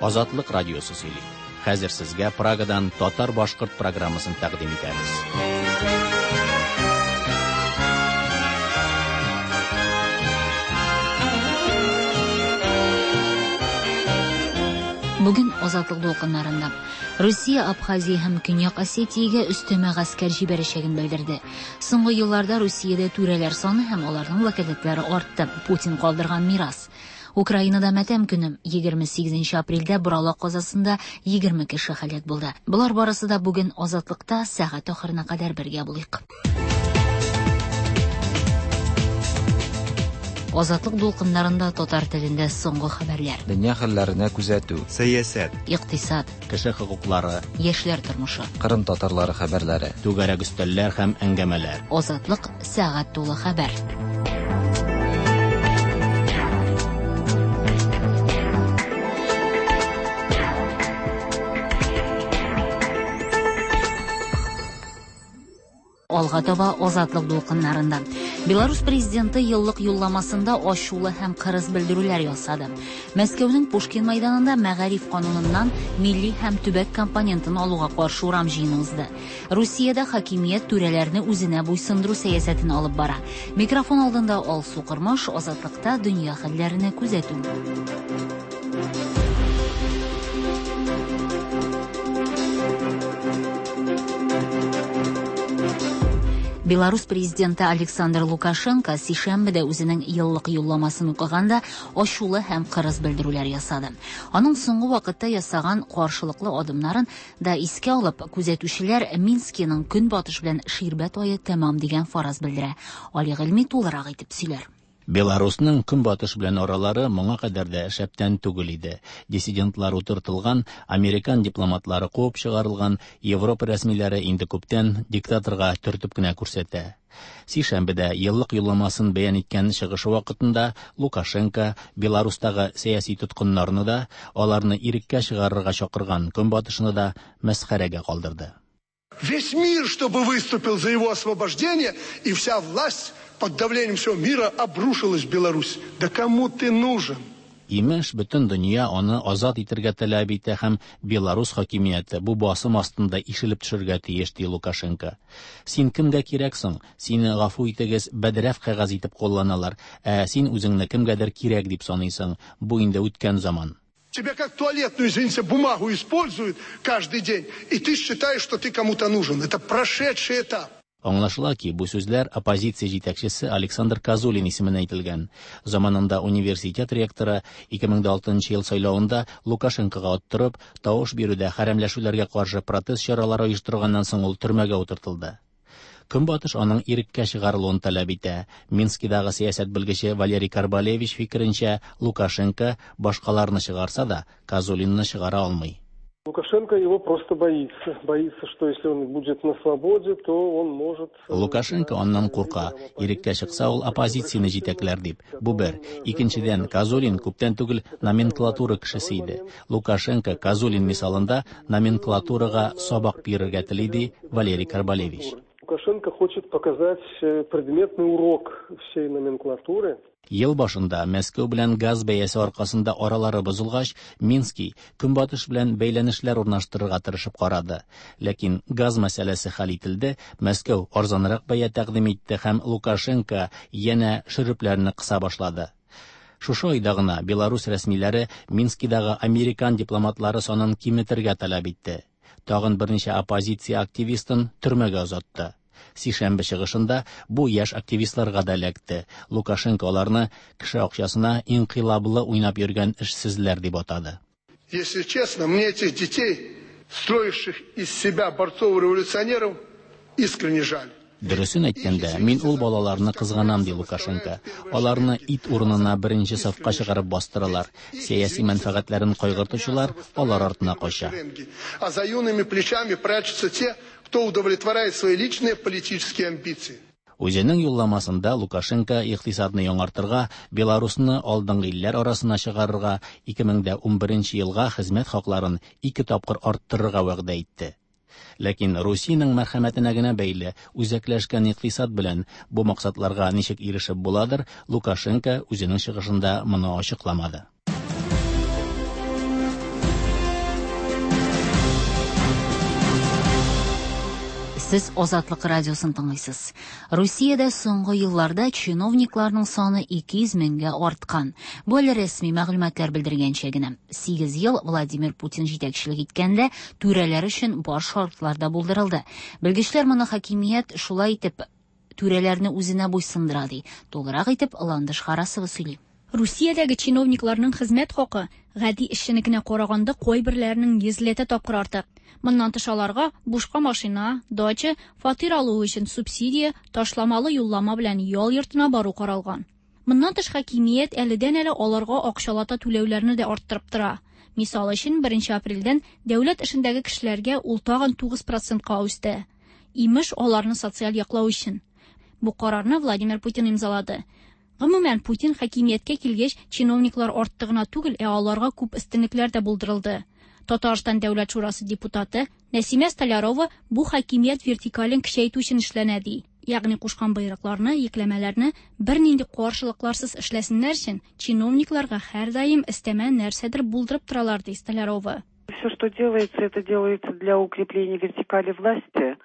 Азатлык радиосы сөйли. Хәзер сезгә Прагадан татар-башкорт программасын тәкъдим итәбез. Бүген Азатлык дулкыннарында Русия Абхазия һәм Көньяк Осетиягә өстәмә гаскәр җибәрәчәген белдерде. Соңгы елларда Русиядә түрәләр саны һәм аларның вәкаләтләре артты. Путин калдырган мирас. Украинада матәм көне. 28 апрельдә Боралак казасында 20 кеше һәлак булды. Болар барысы да бүген Азатлыкта сәгать ахырына кадәр бергә булыйк. Азатлык дулкыннарында татар телендә соңгы хәбәрләр. Дөнья хәлләренә күзәтү. Сәясәт. Икътисад. Кеше хокуклары. Яшьләр тормышы. Кырым татарлары хәбәрләре. Түгәрәк өстәлләр һәм әңгәмәләр. Азатлык сәгать тулы хәбәр. Алга таба Азатлык дулкыннарында. Беларусь президенты еллык юлламасында ачулы һәм кырыс белдерүләр ясады. Мәскәүнең Пушкин мәйданында мәгариф кануныннан милли һәм төбәк компонентын алуга каршы урам җыены узды. Русиядә хакимият түрәләрне үзенә буйсындыру сәясәтен алып бара. Микрофон алдында Алсу Кормаш, Азатлыкта дөнья хәлләренә күзәтү. Беларусь президенты Александр Лукашенко сишәмбедә үзенең еллык юлламасын укыганда ачулы һәм кырыс белдерүләр ясады. Аның соңгы вакытта ясаган каршылыклы адымнарын да искә алып, күзәтүчеләр Минскиның көнбатыш белән ширбәт ае тәмам дигән фараз белдерә. Али Гыйльми тулырак итеп сөйләр. Беларусның көнбатыш белән аралары моңа кадәр дә шәптән түгел иде. Диссидентлар утыртылган, американ дипломатлары куып чыгарылган, Европа рәсмиләре инде күптән диктаторга төртеп кенә күрсәтә. Сишәмбедә еллык юлламасын бәян иткән чыгышы вакытында Лукашенко Беларустагы сәяси тоткыннарны да, аларны иреккә чыгарырга чакырган көнбатышны да мәсхәрәгә калдырды. Весь мир, чтобы выступил за его освобождение, и вся власть под давлением всего мира обрушилась в Беларусь. Да кому ты нужен? Имеш, бөтен дөнья аны азат итәргә таләп итә һәм Беларус хакимияте бу басым астында ишелеп төшергә тиеш, ди Лукашенко. Син кемгә кирәк соң? Сине гафу итегез, бәдрәф кәгазь итеп кулланалар, ә син үзеңне кемгәдер кирәк дип саныйсың. Бу инде үткән заман. Тебя как туалетную, извините, бумагу используют каждый день, и ты считаешь, что ты кому-то нужен. Это прошедший этап. Аңлашыла ки, бу сүзләр оппозиция җитәкчесе Александр Козулин исеменә әйтелгән. Заманында университет ректоры 2006 ел сайлавында Лукашенкога оттырып, тавыш бирүдә хәрәмләшүләргә каршы протест чаралары оештырганнан соң ул төрмәгә утыртылды. Көнбатыш аның иреккә чыгарылуын таләп итә. Минскидагы сәясәт белгече Валерий Карбалевич фикеренчә, Лукашенко башкаларны чыгарса да, Козулинны чыгара алмый. Лукашенко его просто боится. Боится, что если он будет на свободе, то он может... Лукашенко аннан курка. Иреккә чыкса, ул оппозицияне җитәкләр дип. Бу бер. Икенчедән, Козулин күптән түгел номенклатура кешесе иде. Лукашенко Козулин мисалында номенклатурага сабак бирергә тели, ди Валерий Карбалевич. Лукашенко хочет показать предметный урок всей номенклатуры. Ел башында Мәскәү белән газ бәясе аркасында аралары бозылгач, Минский көнбатыш белән бәйләнешләр урнаштырырга тырышып карады. Ләкин газ мәсьәләсе хәл ителде, Мәскәү арзанрак бәя тәкъдим итте һәм Лукашенко янә шөрепләрне кыса башлады. Шушы айда гына Беларусь рәсмиләре Минскидагы американ дипломатлары санын киметергә таләп итте. Тагын берничә оппозиция активистын төрмәгә озатты. Сишәмбе чыгышында бу яшь активистларга да эләкте. Лукашенко аларны кеше акчасына инкыйлаблы уйнап йөргән эшсезләр дип атады. Если честно, мне этих детей, строивших из себя борцов-революционеров, искренне жаль. Дөресен әйткәндә, мин ул балаларны кызганам, ди Лукашенко. Аларны ит урынына беренче сафка чыгарып бастыралар. Сәяси мәнфәгатьләрен кайгыртучылар алар артына кача. А за юными плечами прячутся те, кто удовлетворяет свои личные политические амбиции. Үзенең юлламасында Лукашенко икътисадны яңартырга, Беларусны алдынгы илләр арасына чыгарырга, 2011 елга хезмәт хакларын ике тапкыр арттырырга вәгъдә итте. Ләкин Русиянең мәрхәмәтенә генә бәйле үзәкләшкән икътисад белән бу максатларга ничек ирешеп буладыр, Лукашенко үзенең чыгышында моны ачыкламады. Сез Азатлык радиосын тыңлыйсыз. Русиядә соңгы елларда чиновникларның саны 200 меңгә арткан. Бу әле рәсми мәгълүматлар белдергәнчә генә. 8 ел Владимир Путин җитәкчелек иткәндә түрәләр өчен бар шартлар да булдырылды. Белгечләр моны хакимият шулай итеп түрәләрне үзенә буйсындыра ди. Тулырак итеп Ландыш Харасова сөйли. Русиядәге чиновникларның хезмәт хакы гади эшченекенә караганда кайберләренең йөзләтә тапкыр артык. Моннан тыш аларга бушка машина, дача, фатир алу өчен субсидия, ташламалы юллама белән ял йортына бару каралган. Моннан тыш хакимият әледән-әле аларга акчалата түләүләрне дә арттырып тора. Мисал өчен, 1 апрельдән дәүләт эшендәге кешеләргә ул тагын 9%ка үсте. Имеш, аларны социаль яклау өчен. Бу карарны Владимир Путин имзалады. Гомумән, Путин хакимияткә килгәч, чиновниклар артты гына түгел, ә аларга күп өстенлекләр дә булдырылды. Татарстан Дәүләт шурасы депутаты Нәсимә Столярова бу хакимият вертикален көчәйтү өчен эшләнә ди. Ягъни кушкан боерыкларны, йөкләмәләрне бернинди каршылыкларсыз эшләсеннәр өчен чиновникларга һәрдаим өстәмә нәрсәдер булдырып торалар ди Столярова. Все, что делается, это делается для укрепления вертикали власти.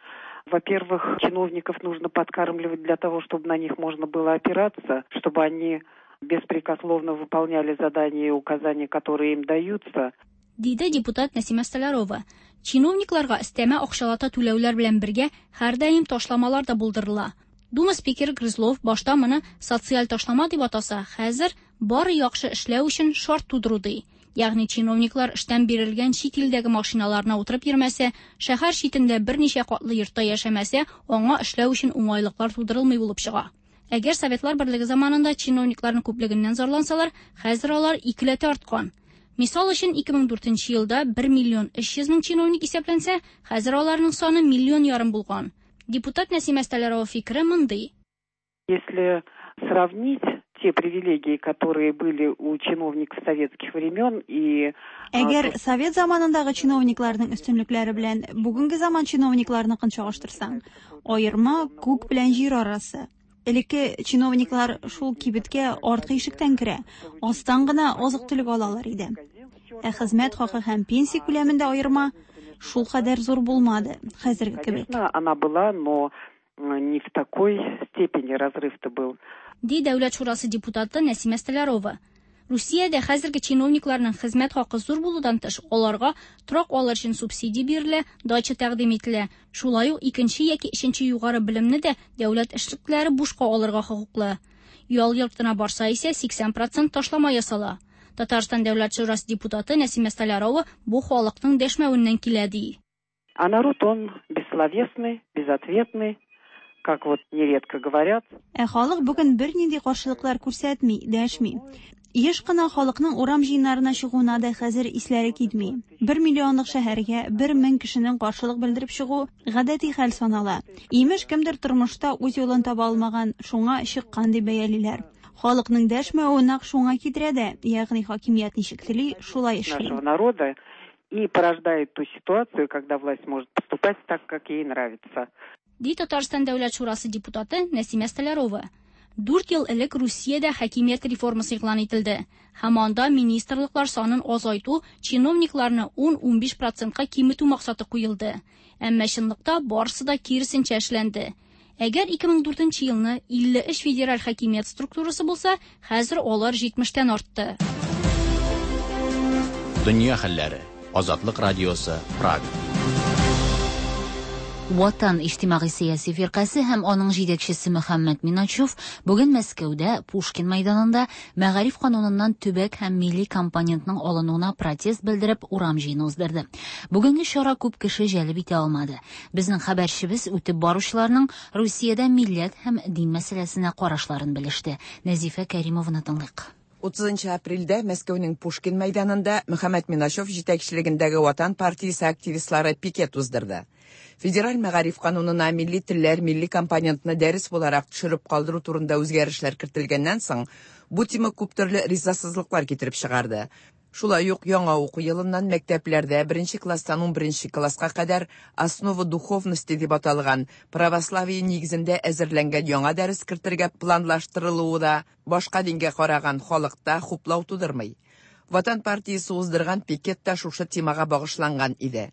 Во-первых, чиновников нужно подкармливать для того, чтобы на них можно было опираться, чтобы они беспрекословно выполняли задания и указания, которые им даются. Диде депутат Нәсимә Столярова. Чиновникларга өстәмә акчалата түләүләр белән бергә һәрдаим ташламалар да булдырыла. Дума спикеры Грызлов башта моны социаль ташлама дип атаса, хәзер бары яхшы эшләү өчен шарт тудыру ди. Ягъни чиновниклар эштән бирелгән чит илдәге машиналарына утырып йөрмәсә, шәһәр читендә берничә катлы йортта яшәмәсә, аңа эшләү өчен уңайлыклар тудырылмый булып чыга. Әгәр Советлар Берлеге заманында чиновникларның күплегеннән зарлансалар, хәзер алар икеләтә арткан. Мисал өчен 2004 елда 1 миллион 300 мең чиновник исәпләнсә, хәзер аларның саны миллион ярым булган. Депутат Нәсимә Столярова фикере мондый. Если сравнить те привилегии, которые были у чиновников советских времен и... Әгәр совет заманындагы чиновникларның өстенлекләре белән бүгенге заман чиновникларыныкын чагыштырсаң, аерма күк белән җир арасы. Элекке чиновниклар шул кибеткә арткы ишектән керә, астан гына азык-төлек алалар иде. Ә хезмәт хакы һәм пенсия күләмендә аерма шул кадәр зур булмады, хәзерге кебек. Конечно, она была, но не в такой степени разрыв-то был. Ди Дәүләт шурасы депутаты Нәсимә Столярова. Русиядә хәзерге чиновникларның хезмәт хакы зур булудан тыш, аларга торак алыр өчен субсидия бирелә, дача тәкъдим ителә. Шулай ук икенче яки өченче югары белемне дә дәүләт эшлеклеләре бушка алырга хокуклы. Ял йортына барса исә 80% ташлама ясала. Татарстан Дәүләт шурасы депутаты Нәсимә Столярова бу халыкның дәшмәвеннән килә ди. А народ он бессловесный, безответный, как вот нередко говорят. Ә халык бүген бернинди каршылыклар күрсәтми, дәшми. Еш кына халыкның урам җыеннарына чыгуына да хәзер исләре китми. 1 миллионлык шәһәргә 1000 кешенең каршылык белдереп чыгу гадәти хәл санала. Имеш, кемдер тормышта үз юлын таба алмаган, шуңа чыккан дип бәялиләр. Халыкның дәшмәве нәкъ шуңа китерә дә, ягъни хакимият ничек тели, шулай эшли. Нашего народа и порождает ту ситуацию, когда власть может поступать так, как ей нравится. Ди Татарстан Дәүләт шурасы депутаты Нәсимә Столярова. 4 ел элек Русиядә хакимият реформасы игълан ителде. Һәм анда министрлыклар санын азайту, чиновникларны 10-15%ка киметү максаты куелды. Әмма чынлыкта барысы да киресенчә эшләнде. Әгәр 2004 елны 53 федераль хакимият структурасы булса, хәзер алар 70-тән артты. Дөнья хәлләре. Азатлык радиосы, Прага. Ватан иҗтимагый сәяси фиркасе һәм аның җитәкчесе Мөхәммәд Миначев бүген Мәскәүдә Пушкин мәйданында мәгариф кануныннан төбәк һәм милли компонентның алынуына протест белдереп урам җыены уздырды. Бүгенге чара күп кеше җәлеп итә алмады. Безнең хәбәрчебез үтеп баручыларның Русиядә милләт һәм дин мәсьәләсенә карашларын белеште. Нәзифә Кәримованы тыңлыйк. 30 апрельдә Мәскәүнең Пушкин мәйданында Мөхәммәд Миначев җитәкчелегендәге Ватан партиясе активистлары пикет уздырды. Федераль мәгариф канунына милли телләр, милли компонентны дәрес буларак төшереп калдыру турында үзгәрешләр кертелгәннән соң, бу тема күп төрле ризасызлыклар китереп чыгарды. Шулай ук яңа уку елыннан мәктәпләрдә 1 класстан 11 класска кадәр Основа духовности дип аталган православие нигезендә әзерләнгән яңа дәрес кертергә планлаштырылуы да башка дингә караган халыкта хуплау тудырмый. Ватан партиясе уздырган пикет та шушы темага багышланган иде.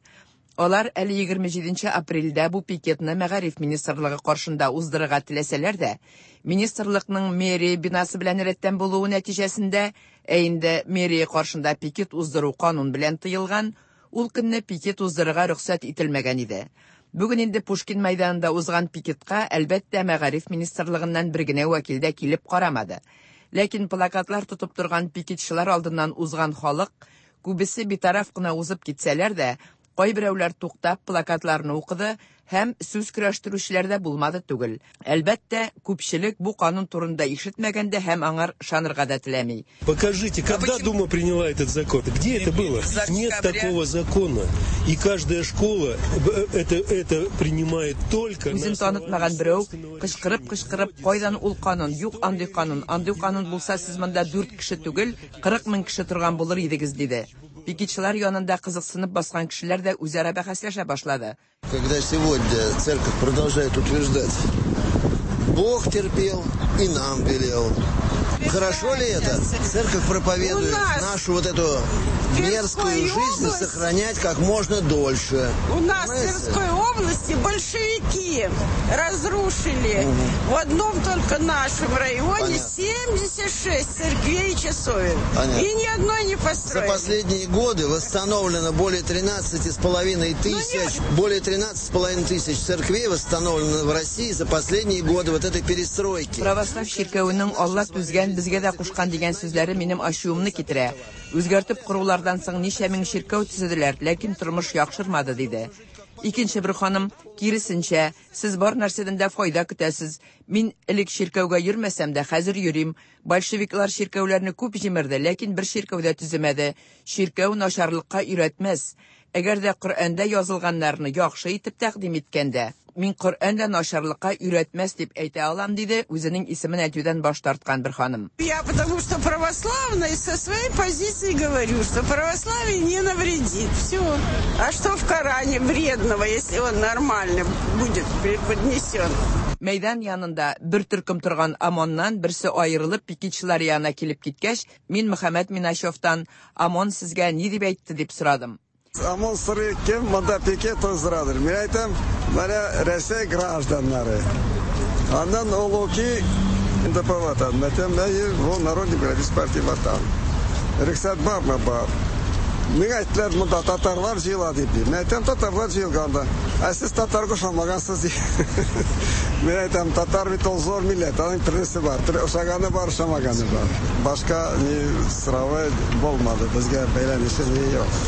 Алар әле 27 апрельдә бу пикетны мәгариф министрлыгы каршында уздырырга теләсәләр дә, министрлыкның мэрия бинасы белән рәттән булуы нәтиҗәсендә, ә инде мэрия каршында пикет уздыру канун белән тыелган, ул көнне пикет уздырырга рөхсәт ителмәгән иде. Бүген инде Пушкин мәйданында узган пикетка, әлбәттә, мәгариф министрлыгыннан бер генә вәкил дә килеп карамады. Ләкин плакатлар тотып торган пикетчылар алдыннан узган халык, күбесе битараф кына узып китсәләр дә, кайберәүләр туктап плакатларны укыды һәм сүз көрәштерүчеләр дә булмады түгел. Әлбәттә, күпчелек бу канун турында ишетмәгән дә һәм аңар ышанырга да теләми. Покажите, когда Дума приняла этот закон? Где это было? Нет такого закона. И каждая школа это принимает только... Үзен танытмаган берәү кычкырып-кычкырып, кайдан ул канун? Юк андый канун. Андый канун булса, сез монда 4 кеше түгел, 40 мең кеше торган булыр идегез, диде. Пикетчылар янында кызыксынып баскан кешеләр дә үзара бәхәсләшә башлады. Когда сегодня церковь продолжает утверждать, Бог терпел и нам велел. Хорошо ли это? Церковь проповедует нашу вот эту мерзкую жизнь сохранять как можно дольше. У нас в Тверской области большевики разрушили в одном только нашем районе 76 церквей и часовен. И ни одной не построили. За последние годы восстановлено более 13,5 тысяч, более 13,5 тысяч церквей восстановлено в России за последние годы вот этой перестройки. Православ чиркәвенең Алла түзгән, безгә дә кушкан дигән сүзләре минем ачуымны китерә. Үзгәртеп корулардан соң ничә мең чиркәү төзеделәр, ләкин тормыш яхшырмады, диде. Икенче бер ханым, киресенчә, сез бар нәрсәдән дә файда көтәсез. Мин элек чиркәүгә йөрмәсәм дә, хәзер йөрим. Большевиклар чиркәүләрне күп җимерде, ләкин бер чиркәү дә төземәде. Чиркәү начарлыкка өйрәтмәс. Әгәр дә Коръәндә язылганнарны яхшы итеп тәкъдим иткәндә, мин Коръән дә начарлыкка өйрәтмәс дип әйтә алам, диде үзенең исемен әйтүдән баш тарткан бер ханым. Я потому что православная и со своей позиции говорю, что православие не навредит. Все. А что в Коране вредного, если он нормально будет преподнесен? Мәйдан янында бер төркем торган ОМОНнан берсе аерылып пикетчылар янына килеп киткәч, мин Мөхәммәт Миначевтан ОМОН сезгә ни дип әйтте дип сорадым. ОМОН сорый, кем монда пикет уздырадыр? Мин әйтәм, менә Рәсәй гражданнары. Аннан ул укый НДП Ватан. Мин әйтәм, әйе, бу Народный демократический партия Ватан. Рөхсәт бармы? Бар. Миңа әйттеләр, монда татарлар җыела дип. Мин әйтәм, татарлар җыелганда. Ә сез татарга ошамагансыз ди. Мин әйтәм, татар бит ул зур милләт, аның төрлесе бар. Ошаганы бар, ошамаганы бар. Башка ни соравы булмады, безгә бәйләнеше ни юк.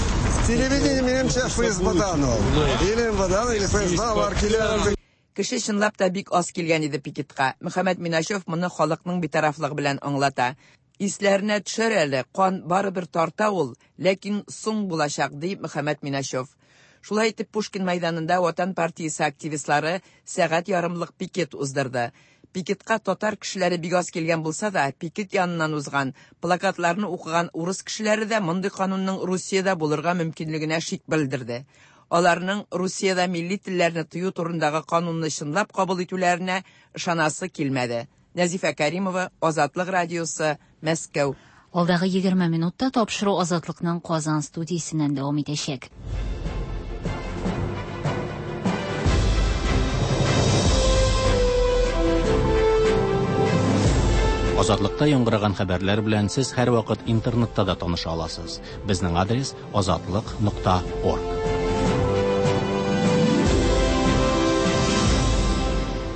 Телевидение минемчә ФСБдан ул. Или МВДан, или ФСБ алар килә. Кеше чынлап та бик аз килгән иде пикетка. Мөхәммәт Миначев моны халыкның битарафлыгы белән аңлата. Исләренә төшәр әле, кан барыбер тарта ул, ләкин соң булачак, ди Мөхәммәт Миначев. Шулай итеп Пушкин мәйданында Ватан партиясе активистлары сәгать ярымлык пикет уздырды. Пикетка татар кешеләре бик аз килгән булса да, пикет яныннан узган, плакатларны укыган урыс кешеләре дә мондый канунның Русиядә булырга мөмкинлегенә шик белдерде. Аларның Русиядә милли телләрне тыю турындагы канунны чынлап кабул итүләренә ышанасы килмәде. Нәзифә Каримова, Азатлык радиосы, Мәскәү. Алдагы 20 минутта тапшыру Азатлыкның Казан студиясеннән дәвам итәчәк. Азатлыкта яңгыраган хәбәрләр белән сез һәрвакыт интернетта да таныша аласыз. Безнең адрес azatliq.org.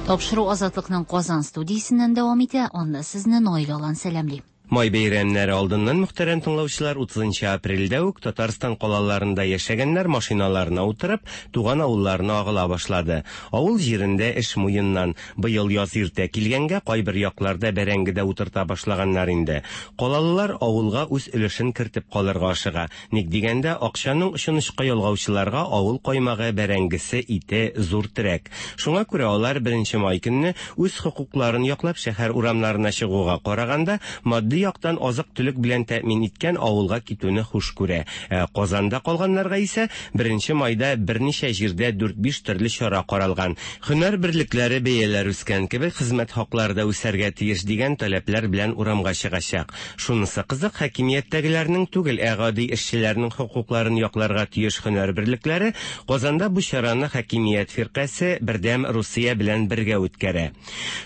Тапшыру Азатлыкның Казан студиясеннән дәвам итә. Анда сезне Наил Алан сәламли. Май бәйрәмнәре алдыннан мөхтәрәм тыңлаучылар 30 апрельдә үк Татарстан калаларында яшәгәннәр машиналарына утырып, туган авылларына агыла башлады. Авыл җирендә эш муеннан. Быел яз иртә килгәнгә кайбер якларда бәрәңге дә утырта башлаганнар инде. Калалылар авылга үз өлешен кертеп калырга ашыга. Ник дигәндә, акчаның очын очка ялгаучыларга авыл каймагы, бәрәңгесе, ите зур терәк. Шуңа күрә алар 1 май көнне үз хокукларын яклап шәһәр урамнарына чыгуга караганда матди икътисади яктан азык-төлек белән тәэмин иткән авылга китүне хуш күрә. Ә Казанда калганнарга исә беренче майда берничә җирдә дүрт-биш төрле чара каралган. Һөнәр берлекләре бәяләр үскән кебек, хезмәт хаклары да үсәргә тиеш дигән таләпләр белән урамга чыгачак. Шунысы кызык, хакимияттәгеләрнең түгел, ә гади эшчеләрнең хокукларын якларга тиеш һөнәр берлекләре Казанда бу чараны хакимият фиркасе Бердәм Русия белән бергә үткәрә.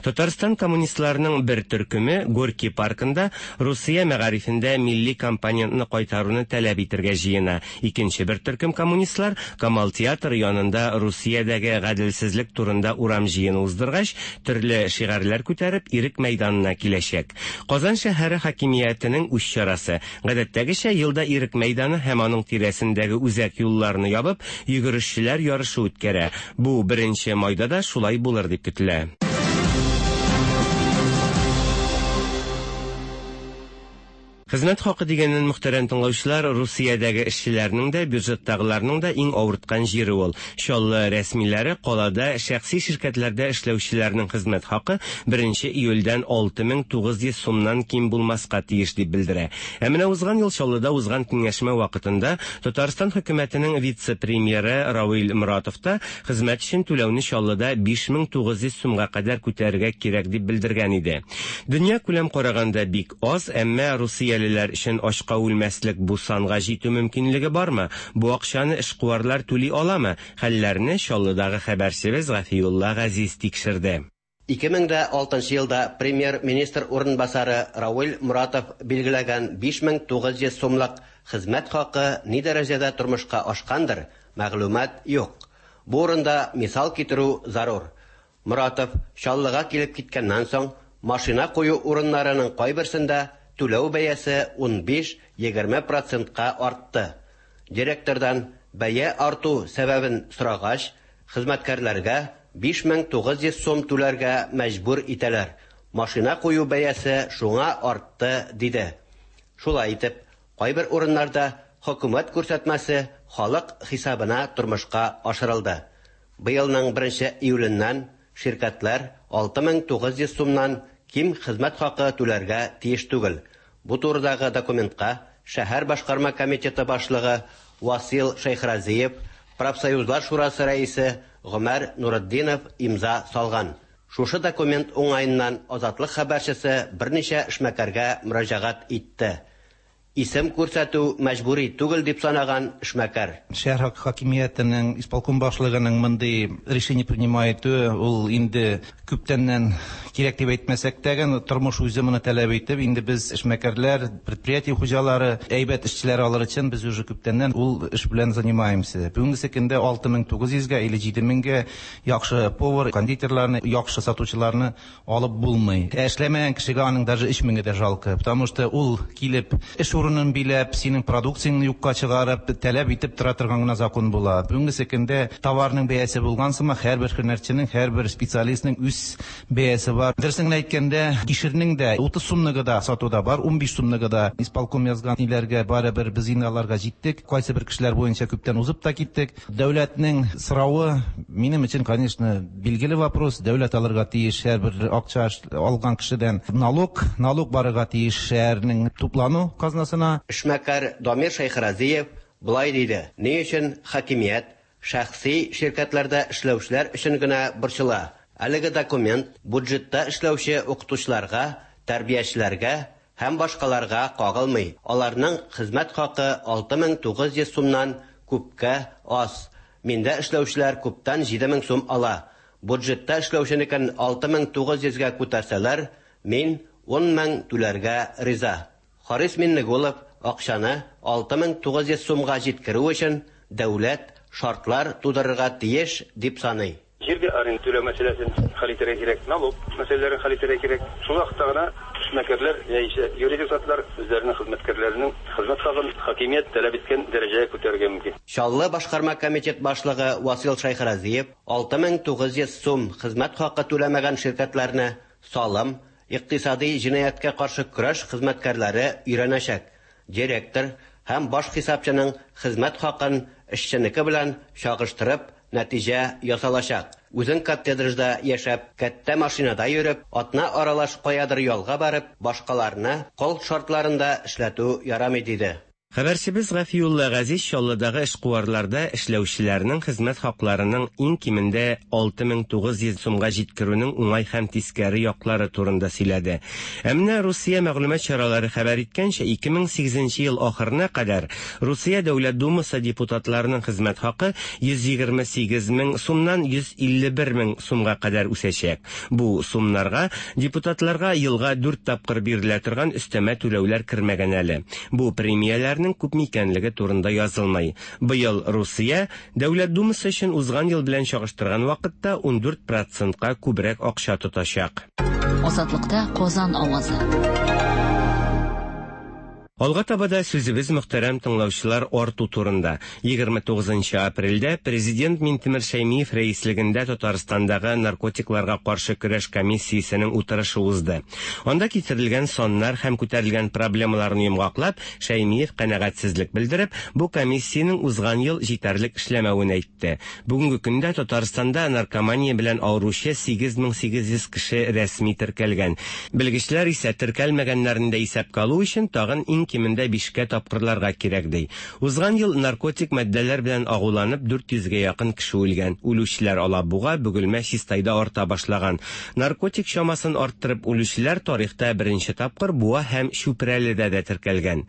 Татарстан коммунистларының бер төркеме Горький паркында Русия мәгарифендә милли компонентны кайтаруны таләп итергә җыена. Икенче бер төркем коммунистлар Камал театры янында Русиядәге гаделсезлек турында урам җыены уздыргач, төрле шигарьләр күтәреп, Ирек мәйданына киләчәк. Казан шәһәре хакимиятенең үз чарасы. Гадәттәгечә, ел да Ирек мәйданы һәм аның тирәсендәге үзәк юлларны ябып, йөгерешчеләр ярышы үткәрә. Бу беренче майда да шулай булыр дип көтелә. Хезмәт хакы дигәннән, мөхтәрәм тыңлаучылар, Русиядәге эшчеләрнең дә, бюджеттагыларның да иң авырткан җире ул. Чаллы рәсмиләре калада шәхси ширкәтләрдә эшләүчеләрнең хезмәт хакы беренче июльдән 6900 сумнан ким булмаска тиеш дип белдерә. Ә менә узган ел Чаллыда узган киңәшмә вакытында Татарстан хөкүмәтенең вице-премьеры Равил Моратов та хезмәт өчен түләүне Чаллыда 5900 сумга кадәр күтәрергә кирәк дип белдергән иде. Дөньякүләм караганда бик аз, әмма русиялеләр өчен ачка үлмәслек бу санга җитү мөмкинлеге бармы? Бу акчаны эшкуарлар түли аламы? Хәлләрне Чаллыдагы хәбәрчебез Гафиулла Газиз тикшерде. 2006 елда Премьер-министр урынбасары Равил Моратов билгеләгән 5900 сумлык хезмәт хакы ни дәрәҗәдә тормышка ашкандыр, мәгълүмат юк. Бу урында мисал китерү зарур. Моратов Чаллыга килеп киткәннән соң, машина кую урыннарының кайберсендә түләү бәясе 15-20 процентка артты. Директордан бәя арту сәбәбен сорагач, хезмәткәрләргә 5900 сум түләргә мәҗбүр итәләр, машина кую бәясе шуңа артты, диде. Шулай итеп, кайбер урыннарда хөкүмәт күрсәтмәсе халык хисабына тормышка ашырылды. Быелның беренче июленнән ширкәтләр 6900 сумнан ким хезмәт хакы түләргә тиеш түгел. Бу турыдагы документка шәһәр башкарма комитеты башлыгы Васил Шәйхразиев, Профсоюзлар шурасы рәисе Гомәр Нуретдинов имза салган. Шушы документ уңаеннан Азатлык хәбәрчесе берничә эшмәкәргә мөрәҗәгать итте. Исем күрсәтү мәҗбүри түгел дип санаган эшмәкәр. Шәһәр хакимиятенең, исполком башлыгының мондый решение принимать итүе, ул инде күптәннән кирәк дип әйтмәсәк тә, тормыш үзе моны таләп итеп, инде без эшмәкәрләр, предприятие хуҗалары, әйбәт эшчеләр алыр өчен без уже күптәннән ул эш белән занимаемся. Бүгенге көндә 6900 гә или 7000 гә яхшы повар, кондитерларны, яхшы сатучыларны алып булмый. Ә эшләмәгән кешегә аның даже 3000 дә жалко, потому что ул килеп эш урынын биләп, синең продукцияңне юкка чыгарып, таләп итеп тора торган гына закон була. Бүгенге көндә товарның бәясе булган сыман, һәрбер һөнәрченең, һәрбер специалистның үз бәясе бар. Дөресен генә әйткәндә, кишернең дә 30 сумлыгы да сатуда бар, 15 сумлыгы да. Исполком язган ниләргә барыбер без инде аларга җиттек. Кайсы бер кешеләр буенча күптән узып та киттек. Дәүләтнең соравы минем өчен, конечно, билгеле вопрос. Дәүләт алырга тиеш һәрбер акча алган кешедән налог, налог барырга тиеш шәһәрнең туплану казнасына. Эшмәкәр Дамир Шәйхразиев болай диде: Ни өчен хакимият шәхси ширкәтләрдә эшләүчеләр өчен генә борчыла? Әлеге документ бюджетта эшләүче укытучыларга, тәрбиячеләргә һәм башкаларга кагылмый. Аларның хезмәт хакы 6900 сумнан күпкә аз. Миндә эшләүчеләр күптән 7000 сум ала. Бюджетта эшләүченекен 6900 гә күтәрсәләр, мин 10000 түләргә риза. Харис Миннегулов акчаны 6900 сумга җиткерү өчен дәүләт шартлар тудырырга тиеш дип саный. Җиргә аренда түләү мәсьәләсен хәл итәргә кирәк, налог мәсьәләләрен хәл итәргә кирәк. Шул вакытта гына эшмәкәрләр яисә юридик затлар үзләренең хезмәткәрләренең хезмәт хакын хакимият таләп иткән дәрәҗәгә күтәрергә мөмкин. Чаллы башкарма комитет башлыгы Васил Шәйхразиев 6900 сум хезмәт хакы түләмәгән ширкәтләрне салым, икътисади җинаятькә каршы көрәш хезмәткәрләре өйрәнәчәк. Директор һәм баш хисапчының хезмәт хакын эшченеке белән чагыштырып нәтиҗә ясалачак. Үзең коттеджда яшәп, кәттә машинада йөреп, атна аралаш каядыр ялга барып, башкаларны кол шартларында эшләтү ярамый, диде. Хәбәрчебез Гафиулла Газиз Чаллыдагы эшкуарларда эшләүчеләрнең хезмәт хакларының иң кимендә 6900 сумга җиткерүнең уңай һәм тискәре яклары турында сөйләде. Ә менә Русия мәгълүмат чаралары хәбәр иткәнчә, 2008 ел ахырына кадәр Русия Дәүләт Думасы депутатларының хезмәт хакы 128 мең сумнан 151 мең сумга кадәр үсәчәк. Бу сумнарга депутатларга елга 4 тапкыр бирелә торган өстәмә түләүләр кермәгән әле. Бу премияләрнең күпме икәнлеге турында язылмый. Быел Русия Дәүләт Думасы өчен узган ел белән чагыштырган вакытта 14 процентка күбрәк акча тотачак. Азатлыкта Казан авазы. Алга таба да сүзебез, мөхтәрәм тыңлаучылар, арту турында. 29 апрельдә Президент Минтимер Шәймиев рәислегендә Татарстандагы наркотикларга каршы көрәш комиссиясенең утырышы узды. Анда китерелгән саннар һәм күтәрелгән проблемаларны йомгаклап, Шәймиев канәгатьсезлек белдереп, бу комиссиянең узган ел җитәрлек эшләмәвен әйтте. Бүгенге көндә Татарстанда наркомания белән авыручы 8800 кеше рәсми теркәлгән. Белгечләр исә теркәлмәгәннәрне дә исәпкә алу өчен тагын иң кимендә бишкә тапкырларга кирәк ди. Узган ел наркотик матдәләр белән агуланып 400гә якын кеше үлгән. Үлүчеләр Алабуга, Бөгелмә, Чистайда арта башлаган. Наркотик чамасын арттырып үлүчеләр тарихта беренче тапкыр Буа һәм Чүпрәледә дә теркәлгән.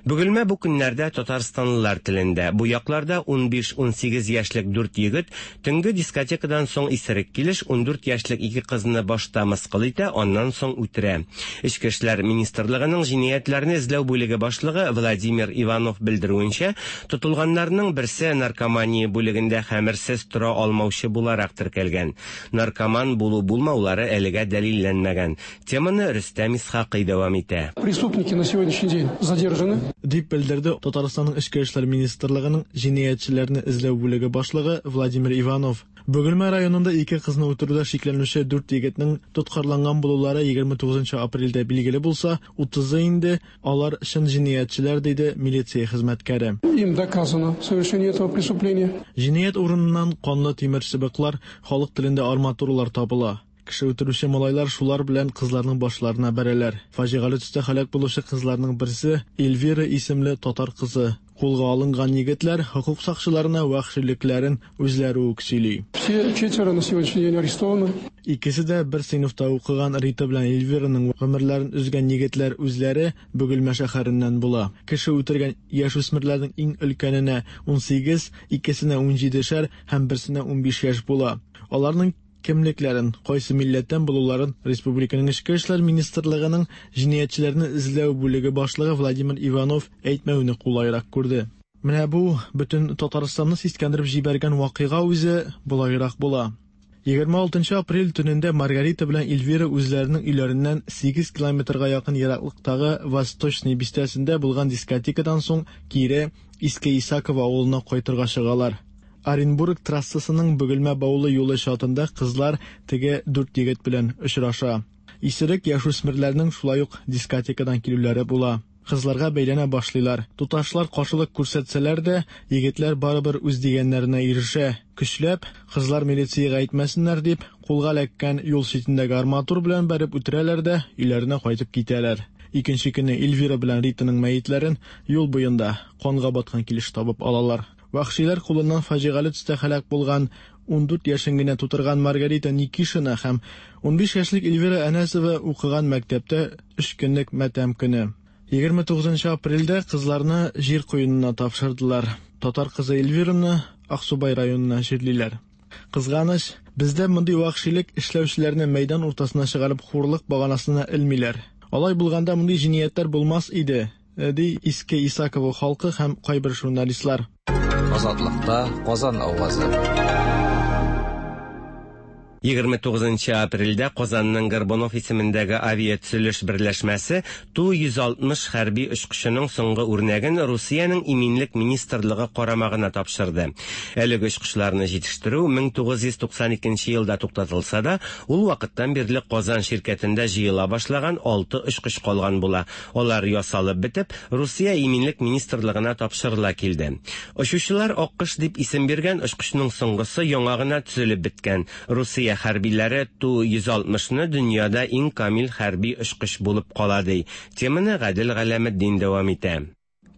Бөгелмә бу көннәрдә татарстанлылар телендә. Бу якларда 15-18 яшьлек дүрт егет төнге дискотекадан соң исерек килеш 14 яшьлек ике кызны башта мыскыл итә, аннан соң үтерә. Эчке эшләр министрлыгының җинаятьләрне эзләү бүлеге башлыгы Владимир Иванов белдерүенчә, тотылганнарның берсе наркомания бүлегендә хәмерсез тора алмаучы буларак теркәлгән. Наркоман булу-булмаулары әлегә дәлилләнмәгән. Теманы Рөстәм Исхакый дәвам итә. Преступники на сегодняшний день задержаны. Дип белдерде Татарстанның Эчке эшләр министрлыгының җинаятьчеләрне эзләү бүлеге башлыгы Владимир Иванов. Бөгелмә районында ике кызны үтерүдә шикләнүче дүрт егетнең тоткарланган булулары 29 апрельдә билгеле булса, 30-ы инде алар чын җинаятьчеләр, диде милиция хезмәткәре. Им доказано совершение этого преступления. Җинаять урыныннан канлы тимер чыбыклар, халык телендә арматуралар табыла. Кеше үтерүче малайлар шулар белән кызларның башларына бәрәләр. Фаҗигале төстә һәлак булучы кызларның берсе Эльвира исемле татар кызы. Кулга алынган егетләр хокук сакчыларына вәхшилекләрен үзләре үк сөйли. Все четверо на сегодняшний день арестованы. Икесе дә бер сыйныфта укыган Рита белән Эльвираның гомерләрен өзгән егетләр үзләре Бөгелмә шәһәреннән була. Кеше үтергән яшүсмерләрнең иң өлкәненә 18, икесенә 17 шәр һәм берсенә 15 яшь була. Аларның кемлекләрен, кайсы милләттән булуларын республиканың Эчке эшләр министрлыгының җинаятьчеләрне эзләү бүлеге башлыгы Владимир Иванов әйтмәүне кулайрак күрде. Менә бу бөтен Татарстанны сискәндереп җибәргән вакыйга үзе болайрак була. 26 апрель төнендә Маргарита белән Эльвира үзләренең өйләреннән 8 километрга якын ераклыктагы Восточный бистәсендә булган дискотекадан соң кире Иске Исаково авылына кайтырга чыгалар. Оренбург трассасының Бөгелмә Баулы юлы чатында кызлар теге дүрт егет белән очраша. Исерек яшүсмерләрнең шулай ук дискотекадан килүләре була. Кызларга бәйләнә башлыйлар. Туташлар каршылык күрсәтсәләр дә, егетләр барыбер үз дигәннәренә ирешә. Көчләп, кызлар милициягә әйтмәсеннәр дип, кулга эләккән юл читендәге арматур белән бәреп үтерәләр дә, өйләренә кайтып китәләр. Икенче көнне Эльвира белән Ританың мәетләрен юл буенда канга баткан килеш табып алалар. Вәхшиләр кулыннан фаҗигале төстә һәлак булган 14 яшен генә тутырган Маргарита Никишина һәм 15 яшьлек Эльвира Әнәсова укыган мәктәптә өч көнлек матәм көне. 29 апрельдә кызларны җир куенына тапшырдылар. Татар кызы Эльвираны Аксубай районына җирлиләр. Кызганыч, бездә мондый вәхшилек эшләүчеләрне мәйдан уртасына чыгарып хурлык баганасына элмиләр. Алай булганда мондый җинаятьләр булмас иде, ди Иске Исаково халкы һәм кайбер журналистлар. Азатлыкта Казан авазы. 29 апрельдә Казанның Горбунов исемендәге авиатөзелеш берләшмәсе Ту-160 хәрби очкычының соңгы үрнәген Русиянең Иминлек министрлыгы карамагына тапшырды. Әлеге очкычларны җитештерү 1992 елда туктатылса да, ул вакыттан бирле Казан ширкәтендә җыела башлаган алты очкыч калган була. Алар ясалып бетеп, Русия Иминлек министрлыгына тапшырыла килде. Очучылар Аккош дип исем биргән очкычның соңгысы яңа гына төзелеп беткән. Русия хәрбиләре Ту-160 ны дөньяда иң камил хәрби очкыч булып кала ди. Теманы Гадел Галәметдин дәвам итә.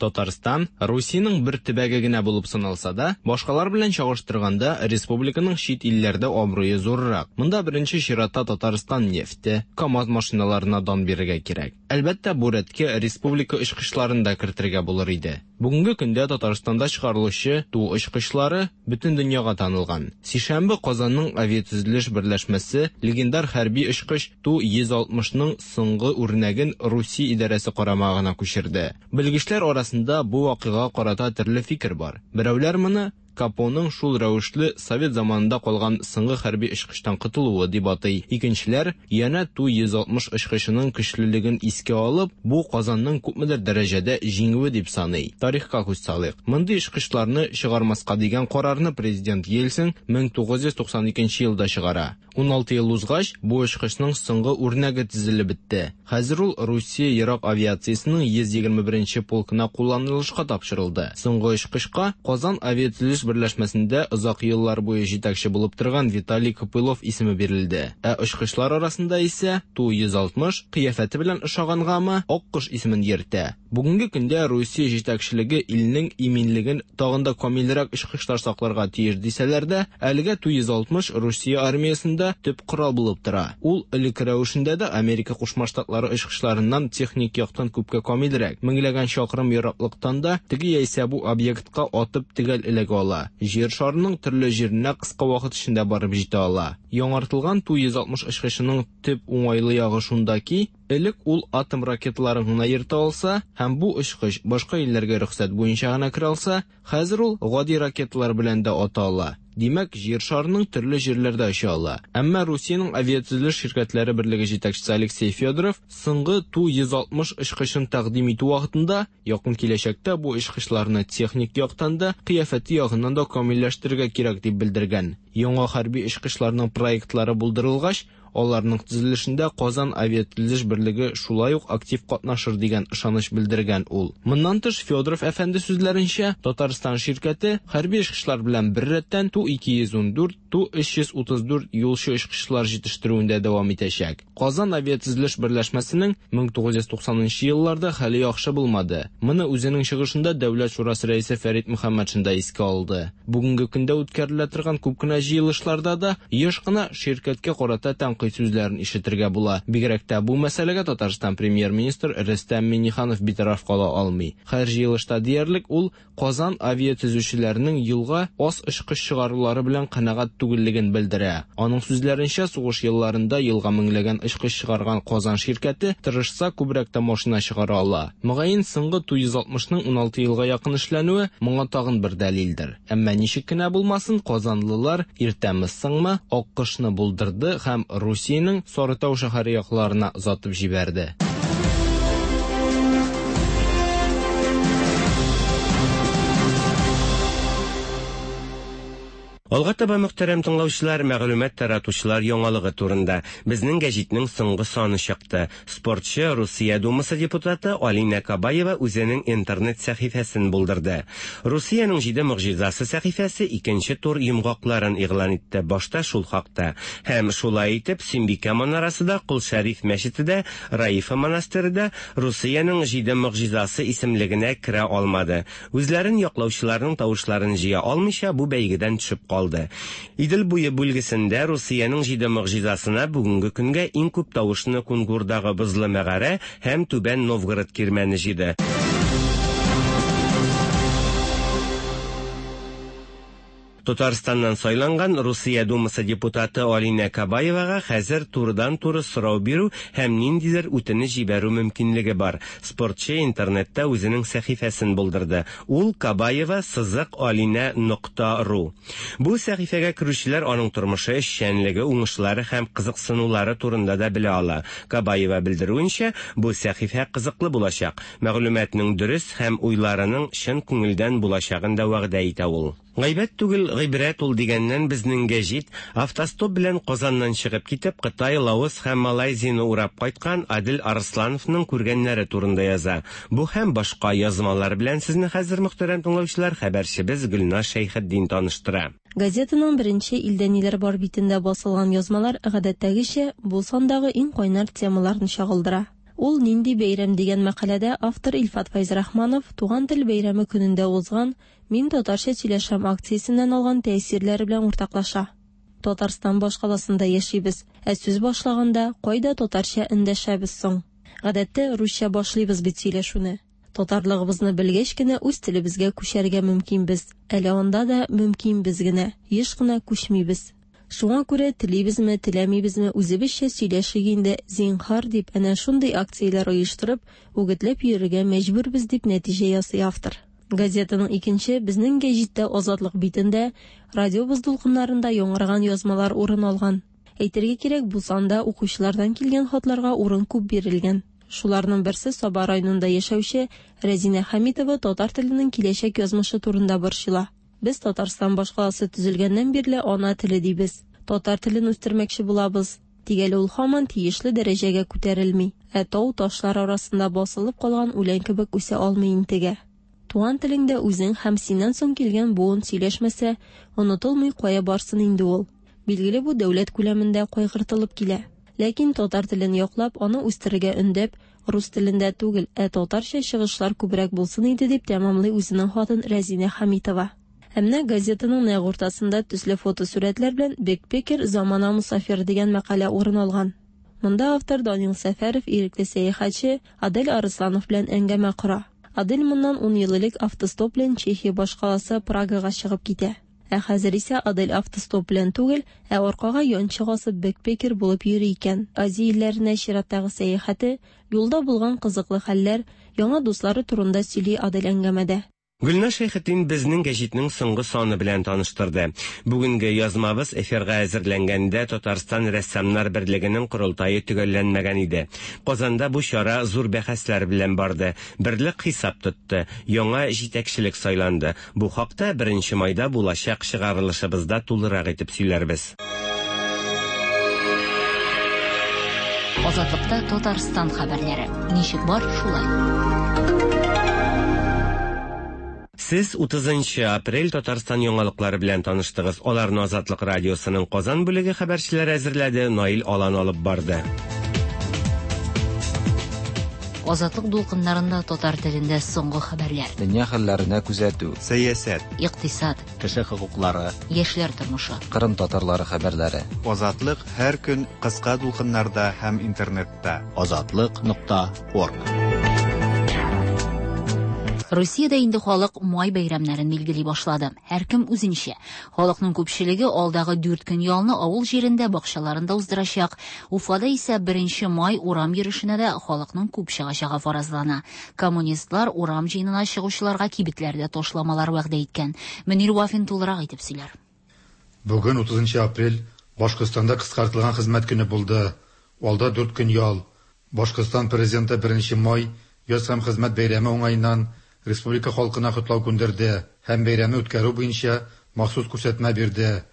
Татарстан, Русиянең бер төбәге генә булып саналса да, башкалар белән чагыштырганда, республиканың чит илләрдә абруе зуррак. Монда беренче чиратта Татарстан нефте, КАМАЗ машиналарына дан бирергә кирәк. Әлбәттә, бу рәткә республика очкычларын да кертергә булыр иде. Бүгенге көндә Татарстанда чыгарылучы Ту очкычлары бөтен дөньяга танылган. Сишәмбе Казанның авиатөзелеш берләшмәсе легендар хәрби очкыч Ту-160 ның соңгы үрнәген Русия идарәсе карамагына күчерде. Белгечләр арасында бу вакыйгага карата төрле фикер бар. Берәүләр моны Капоның шул рәвешле совет заманында калган соңгы хәрби очкычтан котылуы дип атый. Икенчеләр, янә Ту-160 очкычының көчлелеген искә алып, бу Казанның күпмедер дәрәҗәдә җиңүе дип саный. Тарихка күз салыйк. Мондый очкычларны чыгармаска дигән карарны президент Ельцин 1992 елда чыгара. 16 ел узгач, бу очкычның соңгы үрнәге төзелеп бетте. Хәзер ул Русия ерак авиациясенең 121 нче полкына кулланылышка тапшырылды. Соңгы очкычка Казан авиатөзелеш берләшмәсендә озак еллар буе җитәкче булып торган Виталий Копылов исеме бирелде. Ә очкычлар арасында исә Ту-160, кыяфәте белән ошагангамы, Аккош исемен йөртә. Бүгенге көндә Русия җитәкчелеге илнең иминлеген тагын да камилрәк очкычлар сакларга тиеш дисәләр дә, әлегә Ту-160 Русия армиясендә төп корал булып тора. Ул элек рәвешендә дә Америка Кушма Штатлары очкычларыннан техник яктан күпкә камилрәк. Меңләгән чакрым ераклыктан да теге яисә бу объектка атып төгәл эләгә ала. Җир шарының төрле җиренә кыска вакыт эчендә барып җитә ала. Яңартылган Ту-160 очкычының төп уңайлы ягы шунда ки, Элек ул атом ракеталарын гына йөртә алса һәм бу очкыч башка илләргә рөхсәт буенча гына керә алса, хәзер ул гади ракеталар белән дә ата ала. Димәк, Җир шарының төрле җирләрдә оча ала. Әмма Русиянең авиатөзелеш ширкәтләре берлеге җитәкчесе Алексей Федоров соңгы Ту-160 очкычын тәкъдим итү вакытында, якын киләчәктә бу очкычларны техник яктан да, кыяфәте ягыннан да камилләштерергә кирәк дип белдергән. Яңа хәрби очкычларның проектлары булдырылгач, Аларның төзелешендә Казан авиатөзелеш берлеге шулай ук актив катнашыр дигән ышаныч белдергән ул. Моннан тыш, Федоров әфәнде сүзләренчә, Татарстан ширкәте хәрби очкычлар белән беррәттән Ту-214, Ту-334 юлчы очкычлар җитештерүен дә дәвам итәчәк. Казан авиатөзелеш берләшмәсенең 1990 нчы елларда хәле яхшы булмады. Моны үзенең чыгышында Дәүләт шурасы рәисе Фәрит Мөхәммәтшин да искә алды. Бүгенге көндә үткәрелә торган күп кенә җыелышларда да еш кына ширкәткә карата тәнкыйть сүзләрен ишетергә була. Бигрәк тә бу мәсьәләгә Татарстан Премьер-министр Рөстәм Миңнеханов битараф кала алмый. Һәр җыелышта диярлек ул Казан авиатөзүчеләренең елга аз очкыч чыгарулары белән канәгать түгеллеген белдерә. Аның сүзләренчә, сугыш елларында елга меңләгән очкыч чыгарган Казан ширкәте, тырышса, күбрәк тә машина чыгара ала. Мөгаен, соңгы Ту-160 ның 16 елга якын эшләнүе моңа тагын бер дәлилдер. Әмма ничек кенә булмасын, казанлылар, иртәме-соңмы, Аккошны булдырды һәм Русиянең Сарытау шәһәре якларына озатып җибәрде. Алга таба, мөхтәрәм тыңлаучылар, мәгълүмат таратучылар яңалыгы турында. Безнең гәҗитнең соңгы саны чыкты. Спортчы, Русия Думасы депутаты Алинә Кабаева үзенең интернет сәхифәсен булдырды. Русиянең җиде могҗизасы сәхифәсе икенче тур йомгакларын игълан итте, башта шул хакта. Һәм шулай итеп, Сөембикә манарасы да, Кол Шәриф мәчете дә, Раифа монастыре да Русиянең җиде могҗизасы исемлегенә керә алмады. Үзләрен яклаучыларның тавышларын җыя алмыйча, бу бәйгедән төшеп калды. Идел буе бүлгесендә Русиянең җиде могҗизасына бүгенге көнгә иң күп тавышны Кунгурдагы бозлы мәгарә һәм Түбән Новгород кирмәне җыйды. Татарстаннан сайланган Русия Думасы депутаты Алинә Кабаевага хәзер турыдан-туры сорау бирү һәм ниндидер үтенеч җибәрү мөмкинлеге бар. Спортчы интернетта үзенең сәхифәсен булдырды. Ул кабаева сызык алинә нокта ру. Бу сәхифәгә керүчеләр аның тормышы, эшчәнлеге, уңышлары һәм кызыксынулары турында да белә ала. Кабаева белдерүенчә, бу сәхифә кызыклы булачак. Мәгълүматның дөрес һәм уйларының чын күңелдән булачагын да вәгъдә итә ул. Гайбәт түгел, гыйбрәт ул дигәннән безнең гәҗит автостоп белән Казаннан чыгып китеп, Кытай, Лаос һәм Малайзияне урап кайткан Адел Арслановның күргәннәре турында яза. Бу һәм башка язмалар белән сезне хәзер, мөхтәрәм тыңлаучылар, хәбәрчебез Гөлназ Шәйхетдин таныштыра. Газетаның беренче Илдә ниләр бар битендә басылган язмалар, гадәттәгечә, бу сандагы иң кайнар темаларны чагылдыра. Ул нинди бәйрәм дигән мәкаләдә автор Илфат Фәйзрахманов Туган тел бәйрәме көнендә узган Мин татарча сөйләшәм акциясеннән алган тәэсирләре белән уртаклаша. Татарстан башкаласында яшибез, ә сүз башлаганда кайда татарча эндәшәбез соң? Гадәттә русча башлыйбыз бит сөйләшүне. Татарлыгыбызны белгәч кенә үз телебезгә күчәргә мөмкинбез. Әле анда да мөмкинбез генә, еш кына күчмибез. Шуңа күрә телибезме, теләмибезме, үзебезчә сөйләшик инде, зинһар, дип әнә шундый акцияләр оештырып, үгетләп йөрергә мәҗбүрбез, дип нәтиҗә ясый автор. Газетаның икенче Безнең гәҗиттә Азатлык битендә, радиобыз дулкыннарында яңгыраган язмалар урын алган. Әйтергә кирәк, бу санда укучылардан килгән хатларга урын күп бирелгән. Шуларның берсе Саба районында яшәүче Рәзинә Хәмитова татар теленең киләчәк язмышы турында борчыла. Без Татарстан башкаласы төзелгәннән бирле ана теле дибез. Татар телен үстермәкче булабыз. Тик әле ул һаман тиешле дәрәҗәгә күтәрелми, ә тау-ташлар арасында басылып калган үлән кебек үсә алмый интегә. Туган телеңдә үзең һәм синнән соң килгән буын сөйләшмәсә, онытылмый кая барсын инде ул? Билгеле бу дәүләт күләмендә кайгыртылып килә. Ләкин татар телен яклап, аны үстерергә өндәп, рус телендә түгел, ә татарча чыгышлар күбрәк булсын иде, дип тәмамлый үзенең хатын Рәзинә Хәмитова. Ә менә газетаның нәкъ уртасында төсле фотосурәтләр белән Бэкпекер, замана мосафиры дигән мәкалә урын алган. Монда автор Данил Сәфәров ирекле сәяхәтче Адель Арысланов белән әңгәмә кора. Адель моннан ун ел элек автостоп белән Чехия башкаласы Прагага чыгып китә. Ә хәзер исә Адель автостоп белән түгел, ә аркага янчык асып бэкпекер булып йөри икән. Азия илләренә чираттагы сәяхәте, юлда булган кызыклы хәлләр, яңа дуслары турында сөйли Адель әңгәмәдә. Гөлназ Шәйхетдин безнең гәҗитнең соңгы саны белән таныштырды. Бүгенге язмабыз эфирга әзерләнгәндә Татарстан Рәссамнар берлегенең корылтае төгәлләнмәгән иде. Казанда бу чара зур бәхәсләр белән барды. Берлек хисап тотты, яңа җитәкчелек сайланды. Бу хакта беренче майда булачак чыгарылышыбызда тулырак итеп сөйләрбез. Азатлыкта Татарстан хәбәрләре. Ничек бар, шулай. Сез 30 нчы апрель Татарстан яңалыклары белән таныштыгыз. Аларны Азатлык радиосының Казан бүлеге хәбәрчеләре әзерләде, Наил Алан алып барды. Азатлык дулкыннарында татар телендә соңгы хәбәрләр. Дөнья хәлләренә күзәтү. Сәясәт. Икътисад. Кеше хокуклары. Яшьләр тормышы. Кырым татарлары хәбәрләре. Азатлык һәр көн кыска дулкыннарда һәм интернетта. Азатлык нокта орг. Русиядә инде халык май бәйрәмнәрен билгели башлады. Һәркем үзенчә. Халыкның күпчелеге алдагы дүрт көн ялны авыл җирендә, бакчаларында уздырачак. Уфада исә беренче май урам йөрешенә дә халыкның күп чыгачагы фаразлана. Коммунистлар урам җыенына чыгучыларга кибетләрдә ташламалар вәгъдә иткән. Мөнир Вафин тулырак итеп сөйләр. Бүген, 30 апрель, Башкортстанда кыскартылган хезмәт көне булды. Алда дүрт көн ял. Башкортстан Президенты беренче май, Яз һәм хезмәт бәйрәме уңаеннан республика халкына котлау күндерде һәм бәйрәмне үткәрү буенча махсус күрсәтмә бирде.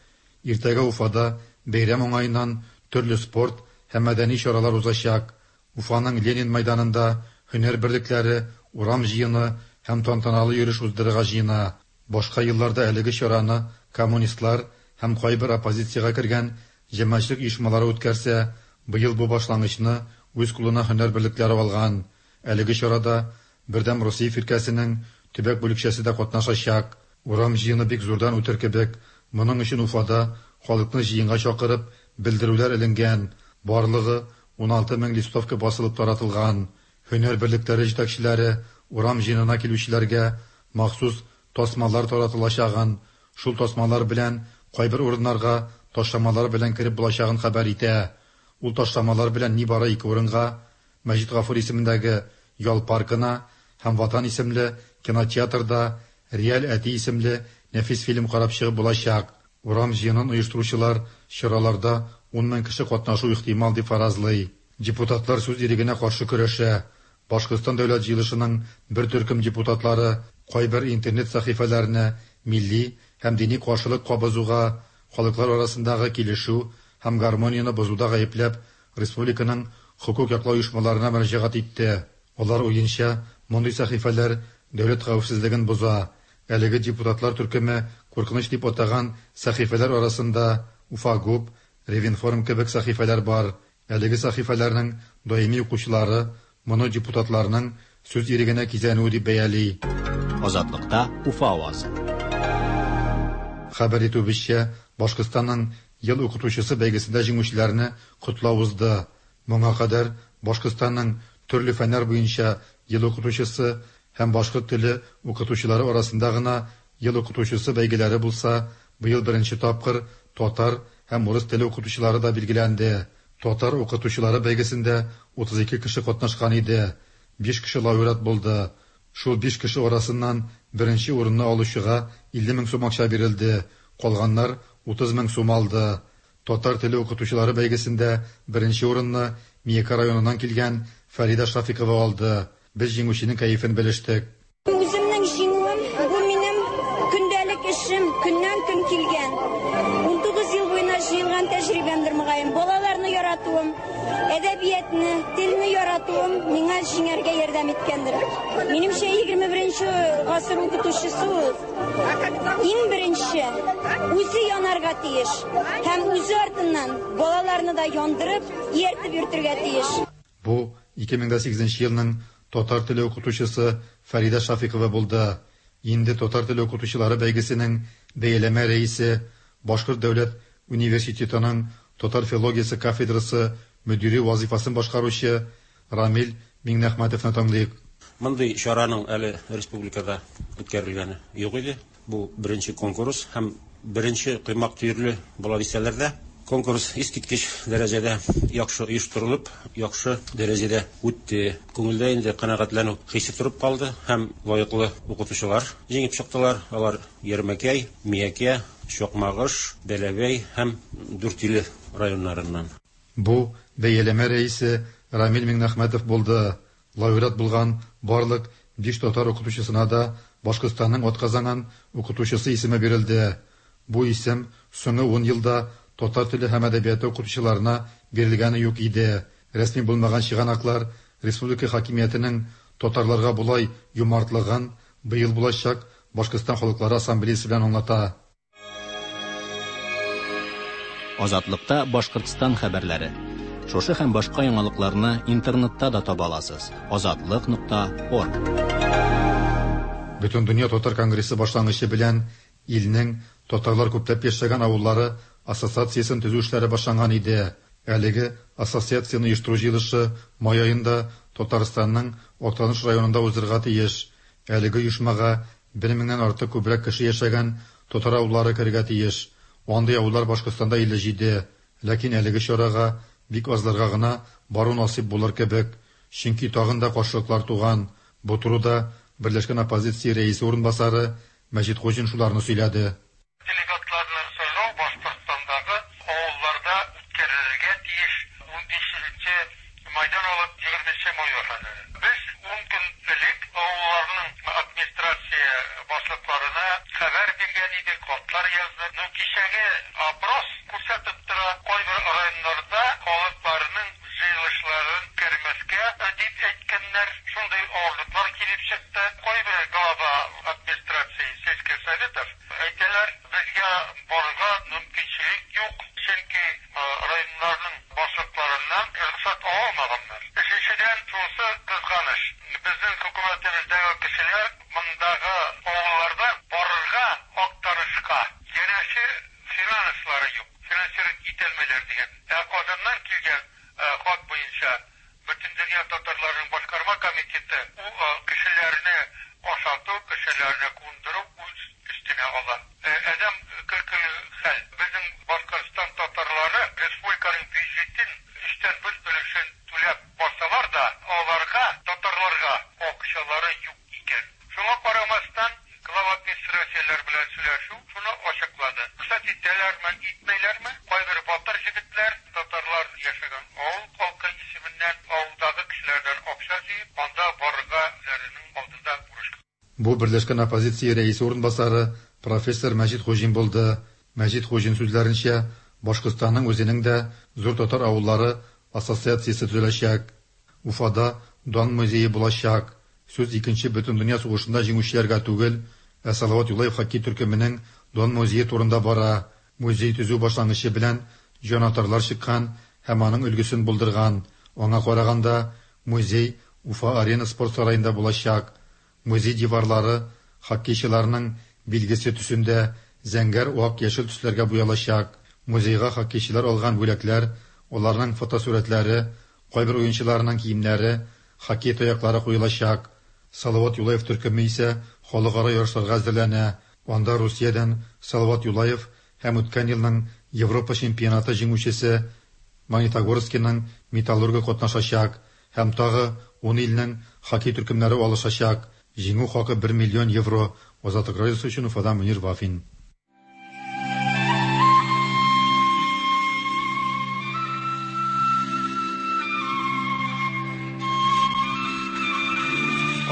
Иртәгә Уфада бәйрәм уңаеннан төрле спорт һәм мәдәни чаралар узачак. Уфаның Ленин мәйданында һөнәр берлекләре урам җыены һәм тантаналы йөреш уздырырга җыена. Башка елларда әлеге чараны коммунистлар һәм кайбер оппозициягә кергән җәмәгатьчелек оешмалары үткәрсә, быел бу башлангычны үз кулына һөнәр берлекләре алган. Әлеге чарада Бердәм Русия фиркәсенең төбәк бүлекчәсе дә катнашачак. Урам җыены бик зурдан үтер кебек. Моның өчен Уфада халыкны җыенга чакырып, белдерүләр эленгән, барлыгы 16 мең листовка басылып таратылган. Һөнәр берлекләре җитәкчеләре урам җыенына килүчеләргә махсус тасмалар таратылачагын, Шул тасмалар белән кайбер урыннарга ташламалар белән кереп булачагын хәбәр итә. Ул ташламалар белән нибары ике урынга, Мәҗит Гафури исемендәге ял паркына һәм Ватан исемле кинотеатрда Реаль әти исемле нәфис фильм карап чыгып булачак. Урам җыенын оештыручылар чараларда 10 мең кеше катнашу ихтимал дип фаразлый. Депутатлар сүз ирегенә каршы көрәшә. Башкортстан Дәүләт җыелышының бер төркем депутатлары кайбер интернет сәхифәләрне милли һәм дини каршылык кабызуга, халыклар арасындагы килешү һәм гармонияне бозуда гаепләп, республиканың хокук яклау оешмаларына мөрәҗәгать итте. Алар уенча, мондый сәхифәләр дәүләт хәвефсезлеген боза. Әлеге депутатлар төркеме куркыныч дип атаган сәхифәләр арасында Уфагуб, Ревинформ кебек сәхифәләр бар. Әлеге сәхифәләрнең даими укучылары моны депутатларның сүз ирегенә кизәнүе дип бәяли. Азатлыкта Уфа авазы. Хәбәр итүебезчә, Башкортстанның Ел укытучысы бәйгесендә җиңүчеләрне котлау узды. Моңа кадәр Башкортстанның төрле фәннәр буенча Ел укытучысы һәм башкорт теле укытучылары арасында гына Ел укытучысы бәйгеләре булса, быел беренче тапкыр татар һәм урыс теле укытучылары да билгеләнде. Татар укытучылары бәйгесендә 32 кеше катнашкан иде. Биш кеше лауреат булды. Шул биш кеше арасыннан беренче урынны алучыга 50 мең сум акча бирелде, калганнар 30 мең сум алды. Татар теле укытучылары бәйгесендә беренче урынны Миякә районыннан килгән Фәридә Шафикова алды. Без җиңүченең кәефен белештек. Үземнең җиңүем, бу минем көндәлек эшем, көннән-көн килгән. 19 ел буена җыелган тәҗрибәмдер, мөгаен. Балаларны яратуым, әдәбиятны, телне яратуым миңа җиңәргә ярдәм иткәндер. Минемчә, 21 гасыр укытучысы ул иң беренче үзе янарга тиеш һәм үзе артыннан балаларны да яндырып, ияртеп йөртергә тиеш. Бу 2008 елның татар теле укытучысы Фәридә Шафикова булды. Инде татар теле укытучылары бәйгесенең бәяләмә рәисе, Башкорт дәүләт университетының татар филологиясе кафедрасы мөдире вазыйфасын башкаручы Рамил Миңнәхмәтовны тыңлыйк. Мондый чараның әле республикада үткәрелгәне юк иде. Бу беренче конкурс һәм беренче коймак төерле була дисәләр дә, конкурс искиткеч дәрәҗәдә яхшы оештырылып, яхшы дәрәҗәдә үтте. Күңелдә инде канәгатьләнү хисе торып калды һәм лаеклы укытучылар җиңеп чыктылар. Алар Ярмәкәй, Миякә, Чакмагыш, Бәләбәй һәм Дүртөйле районнарыннан. Бу бәяләмә рәисе Рамил Миңнәхмәтов булды. Лауреат булган барлык биш татар укытучысына да Башкортстанның атказанган укытучысы исеме бирелде. Бу исем соңгы ун елда татар теле һәм әдәбияты укытучыларына бирелгәне юк иде. Рәсми булмаган чыганаклар республика хакимиятенең татарларга болай юмартлыгын быел булачак Башкортстан халыклары ассамблеясе белән аңлата. Азатлыкта Башкортстан хәбәрләре. Шушы һәм башка яңалыкларны интернетта да таба аласыз. Азатлык.орг. Бөтендөнья татар конгрессы башлангычы белән илнең татарлар күпләп яшәгән авыллары ассоциациясен төзү эшләре башланган иде. Әлеге ассоциацияне оештыру җыелышы май аенда Татарстанның Актаныш районында узырга тиеш. Әлеге оешмага бер меңнән артык күбрәк кеше яшәгән татар авыллары керергә тиеш. Андый авыллар Башкортстанда 57. Ләкин әлеге чарага бик азларга гына бару насыйп булыр кебек. Чөнки тагын да каршылыклар туган. Бу турыда Берләшкән оппозиция рәисе урынбасары Мәҗит Хуҗин шуларны сөйләде. Делегатларны сайлау Башкортстандагы авылларда үткәрелергә тиеш 15 майдан алып 20 майга кадәр. Без ун көн элек авылларның администрация башлыкларына хәбәр биргән идек, хатлар яздык. Ну, кичәге опрос күрсәтеп тора, кайбер районнарда халыкларның җыелышларын үткәрмәскә дип әйткәннәр. Шундый авырлыклар килеп чыкты. Кайбер глава администрации сельских советов әйтәләр, безгә барырга мөмкинчелек юк, чөнки районнарның башлыкларыннан рөхсәт ала алмаганнар. Өченчедән, шунысы кызганыч, безнең хөкүмәтебездәге кешеләр мондагы авылларда барырга Актанышка янәсе финанслары юк, финансировать итәлмиләр дигән. Ә Казаннан килгән хат буенча Бөтендөнья татарларының башкарма комитеты ул кешеләрне ашату, кешеләрне кундыру үз өстенә. генә ала. Адәм көлкеле хәл. Безнең Башкортстан татарлары республиканың бюджетын өчтән бер өлешен түләп барсалар да, аларга, татарларга акчалары юк икән. Шуңа карамастан, глава администрацияләр белән сөйләшү шуны ачыклады. Рөхсәт итәләрме, итмәйләрме, кайбер батыр җегетләр татарлар яшәгән авыл халкы исеменнән авылдагы кешеләрдән акча җыеп, анда барырга үзләренең алдында бурыч. Бу Берләшкән оппозиция рәисе урынбасары профессор Мәҗит Хуҗин булды. Мәҗит Хуҗин сүзләренчә, Башкортстанның үзенең дә зур татар авыллары ассоциациясе төзеләчәк. Уфада Дан музее булачак. Сүз Икенче бөтендөнья сугышында җиңүчеләргә түгел, ә Салават Юлаев хоккей төркеменең Дан музее турында бара. Музей төзү башлангычы белән җанатарлар чыккан һәм аның өлгесен булдырган. Аңа караганда, музей Уфа-Арена спорт сараенда булачак. Музей диварлары хоккейчыларның билгесе төсендә, зәңгәр, ак, яшел төсләргә буялачак. Музейга хоккейчылар алган бүләкләр, аларның фотосурәтләре, кайбер уенчыларның киемнәре, хоккей таяклары куелачак. Салават Юлаев төркеме исә халыкара ярышларга әзерләнә. Анда Русиядән Салават Юлаев һәм үткән елның Европа чемпионаты җиңүчесе Магнитогорскиның Металлургы катнашачак һәм тагы ун илнең хоккей төркемнәре алышачак. Җиңү хакы бер миллион евро. Азатлык радиосы өчен Уфадан Мөнир Вафин.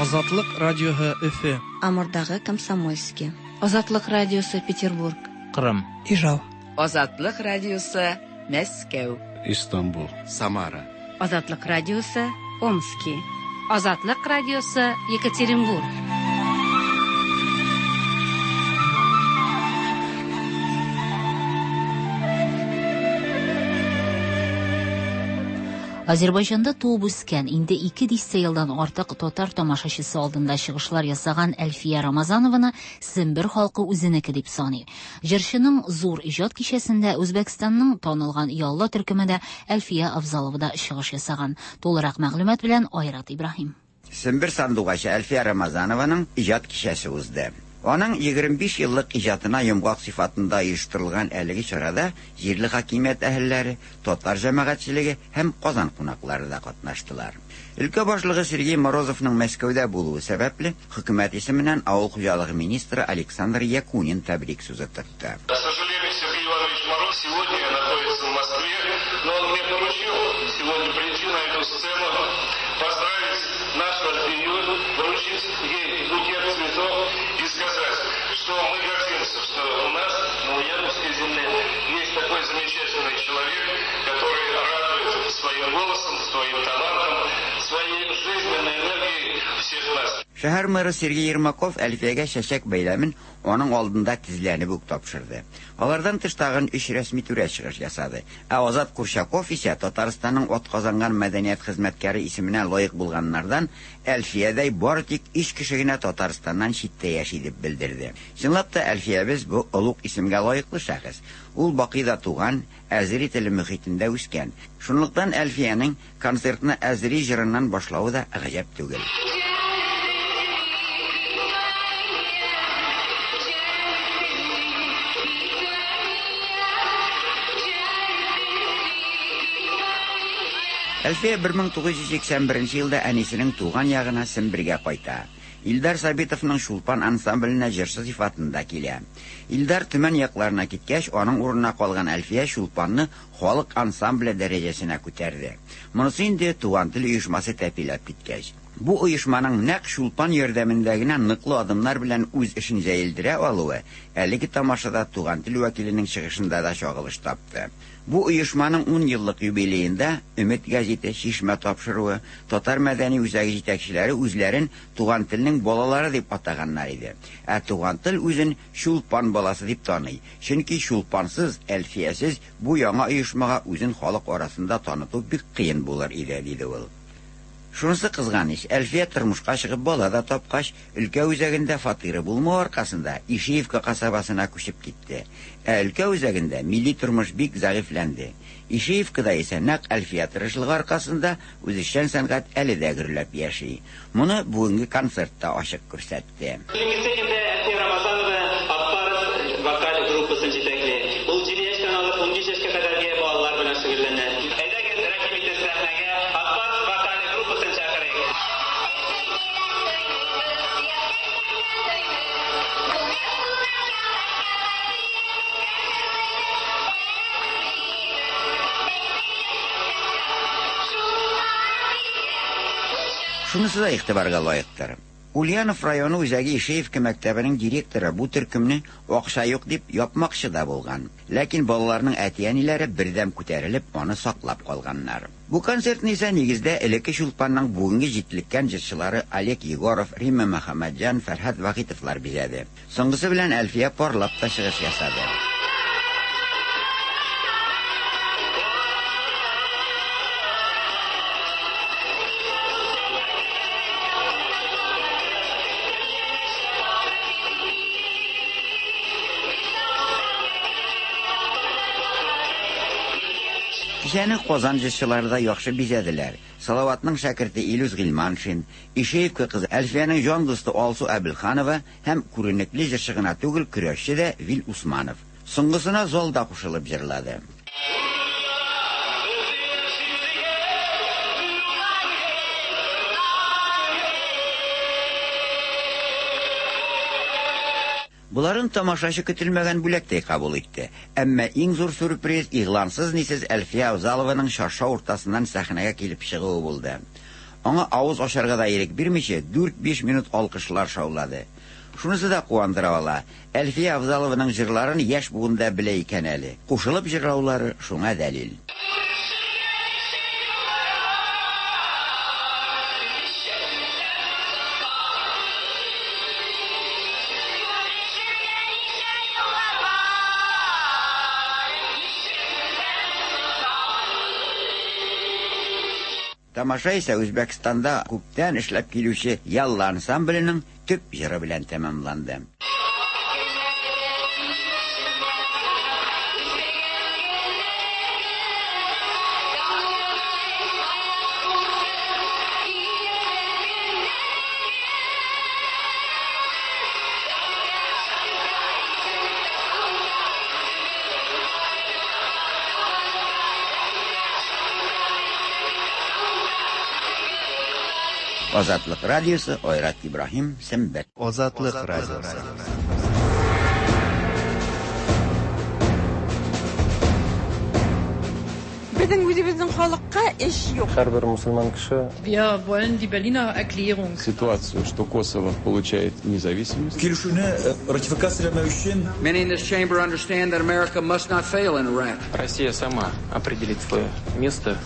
Азатлык радиоһы Өфе. Амурдагы Комсомольски. Азатлык радиосы Петербург. Кырым. Ижау. Азатлык радиосы Мәскәү. Истанбул. Самара. Азатлык радиосы Омски. Азатлык радиосы Екатеринбург. Азербайҗанда туып үскән, инде ике дистә елдан артык татар тамашачысы алдында чыгышлар ясаган Әлфия Рамазанованы Сембер халкы үзенеке дип саный. Җырчының зур иҗат кичәсендә Үзбәкстанның танылган Ялла төркеме дә, Әлфия Авзалова да чыгыш ясаган. Тулырак мәгълүмат белән Айрат Ибраһим. Сембер сандугачы Әлфия Рамазанованың иҗат кичәсе узды. Аның 25 еллык иҗатына йомгак сыйфатында оештырылган әлеге чарада җирле хакимият әһелләре, татар җәмәгатьчелеге һәм Казан кунаклары да катнаштылар. Өлкә башлыгы Сергей Морозовның Мәскәүдә булуы сәбәпле, хөкүмәт исеменнән авыл хуҗалыгы министры Александр Якунин тәбрик сүзе тотты. К сожалению, Сергей Иванович Мороз сегодня находится в Москве, но он мне поручил сегодня прийти на эту сцену, поздравить нашу Альфию, вручить ей букет цветов и сказать, что мы гордимся, что у нас на Ульяновской земле есть такой замечательный человек, который радует своим голосом, своим талантом, своей жизненной энергией всех нас. Шәһәр мэры Сергей Ермаков Әлфиягә чәчәк бәйләмен аның алдында тезләнеп үк тапшырды. Алардан тыш тагын өч рәсми түрә чыгыш ясады. Ә Азат Курчаков исә Татарстанның атказанган мәдәният хезмәткәре исеменә лаек булганнардан Әлфиядәй бары тик өч кеше генә Татарстаннан читтә яши дип белдерде. Чынлап та Әлфиябез бу олуг исемгә лаеклы шәхес. Ул Бакыйда туган, әзери теле мөхитендә үскән. Шунлыктан Әлфиянең концертны әзери җырыннан башлавы да гаҗәп түгел. Әлфия 1981 елда әнисенең туган ягына Сембергә кайта. Илдар Сабитовның Чулпан ансамбленә җырчы сыйфатында килә. Илдар Төмән якларына киткәч, аның урынына калган Әлфия Чулпанны халык ансамбле дәрәҗәсенә күтәрде. Монысы инде Туган тел оешмасы тәпиләп киткәч. Бу оешманың нәкъ Чулпан ярдәмендә генә ныклы адымнар белән үз эшен җәелдерә алуы әлеге тамашада Туган тел вәкиленең чыгышында да чагылыш тапты. Бу оешманың 10 еллык юбилеенда Өмет гәзите, Чишмә тапшыруы, Татар мәдәни үзәге җитәкчеләре үзләрен Туган телнең балалары дип атаганнар иде. Ә Туган тел үзен Чулпан баласы дип таный. Чөнки Чулпансыз, Әлфиясез бу яңа оешмага үзен халык арасында таныту бик кыен булыр иде, диде ул. Шунысы кызганыч, Әлфия тормышка чыгып бала да тапкач, өлкә үзәгендә фатиры булмау аркасында Ишеевка касабасына күчеп китте. Ә өлкә үзәгендә милли тормыш бик зәгыйфьләнде. Ишеевкада исә нәкъ Әлфия тырышлыгы аркасында үзешчән сәнгать әле дә гөрләп яши. Моны бүгенге концертта ачык күрсәтте. труппасын җитәкли. Ул 7 яшьтән алып 15 яшькә кадәрге балалар белән шөгыльләнә. Әйдәгез, рәхим итеп сәхнәгә Ак Барс вокаль труппасын чакырыйк. Шунысы да игътибарга лаектыр. Ульянов районы үзәге Ишеевка мәктәбенең директоры бу төркемне акча юк дип япмакчы да булган. Ләкин балаларның әти-әниләре бердәм күтәрелеп, аны саклап калганнар. Бу концертны исә нигездә элекке Чулпанның бүгенге җитлеккән җырчылары Олег Егоров, Римма Мөхәммәтҗан, Фәрһад Вахитовлар бизәде. Соңгысы белән Әлфия парлап та чыгыш ясады. Кичәне Казан җырчылары да яхшы бизәделәр. Салаватның шәкерте Илүс Гыйльманшин, Ишеевка кызы Әлфиянең җан дусты Алсу Әбелханова һәм күренекле җырчы гына түгел, көрәшче дә Вил Усманов. Соңгысына зал да кушылып җырлады. Боларын тамашачы көтелмәгән бүләктәй кабул итте. Әмма иң зур сюрприз игълансыз-нисез Әлфия Авзалованың чаршау уртасыннан сәхнәгә килеп чыгуы булды. Аңа авыз ачарга да ирек бирмичә, 4-5 минут алкышлар шаулады. Шунысы да куандыра ала. Әлфия Авзалованың җырларын яшь буын да белә икән әле. Кушылып җырлаулары шуңа дәлил. Тамаша исә Үзбәкстанда күптән эшләп килүче Ялла ансамбленең төп җыры белән тәмамланды. Азатлык радиосы Айрат Ибраһим Сембер. Азатлык радиосы. Безнең үзебезнең халыкка эш юк. Һәрбер мусульман кеше Wir wollen die Berliner Erklärung. Ситуацию, что Косово получает независимость. Килешүне ратификацияләмәү өчен Many in this chamber understand that America must not fail in Iraq. Россия сама определит свое место.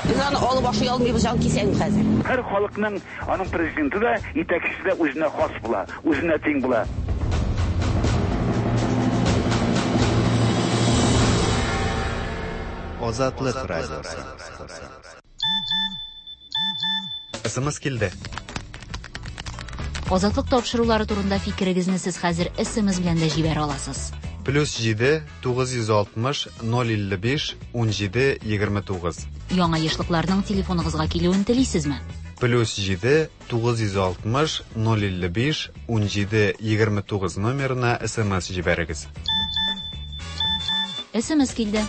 Без аны алып ашый алмыйбыз, җан кисәм хәзер. Һәр халыкның аның президенты да, итәкчесе дә үзенә хас була, үзенә тиң була. Азатлык радиосы. СМС килде. Азатлык тапшырулары турында фикерегезне сез хәзер SMS белән дә җибәрә аласыз. Плюс 7 960 055 17 29. Яңа ешлыкларның телефоныгызга килүен телисезме? Плюс 7 960 055 17 29 номерына СМС җибәрегез. SMS килде.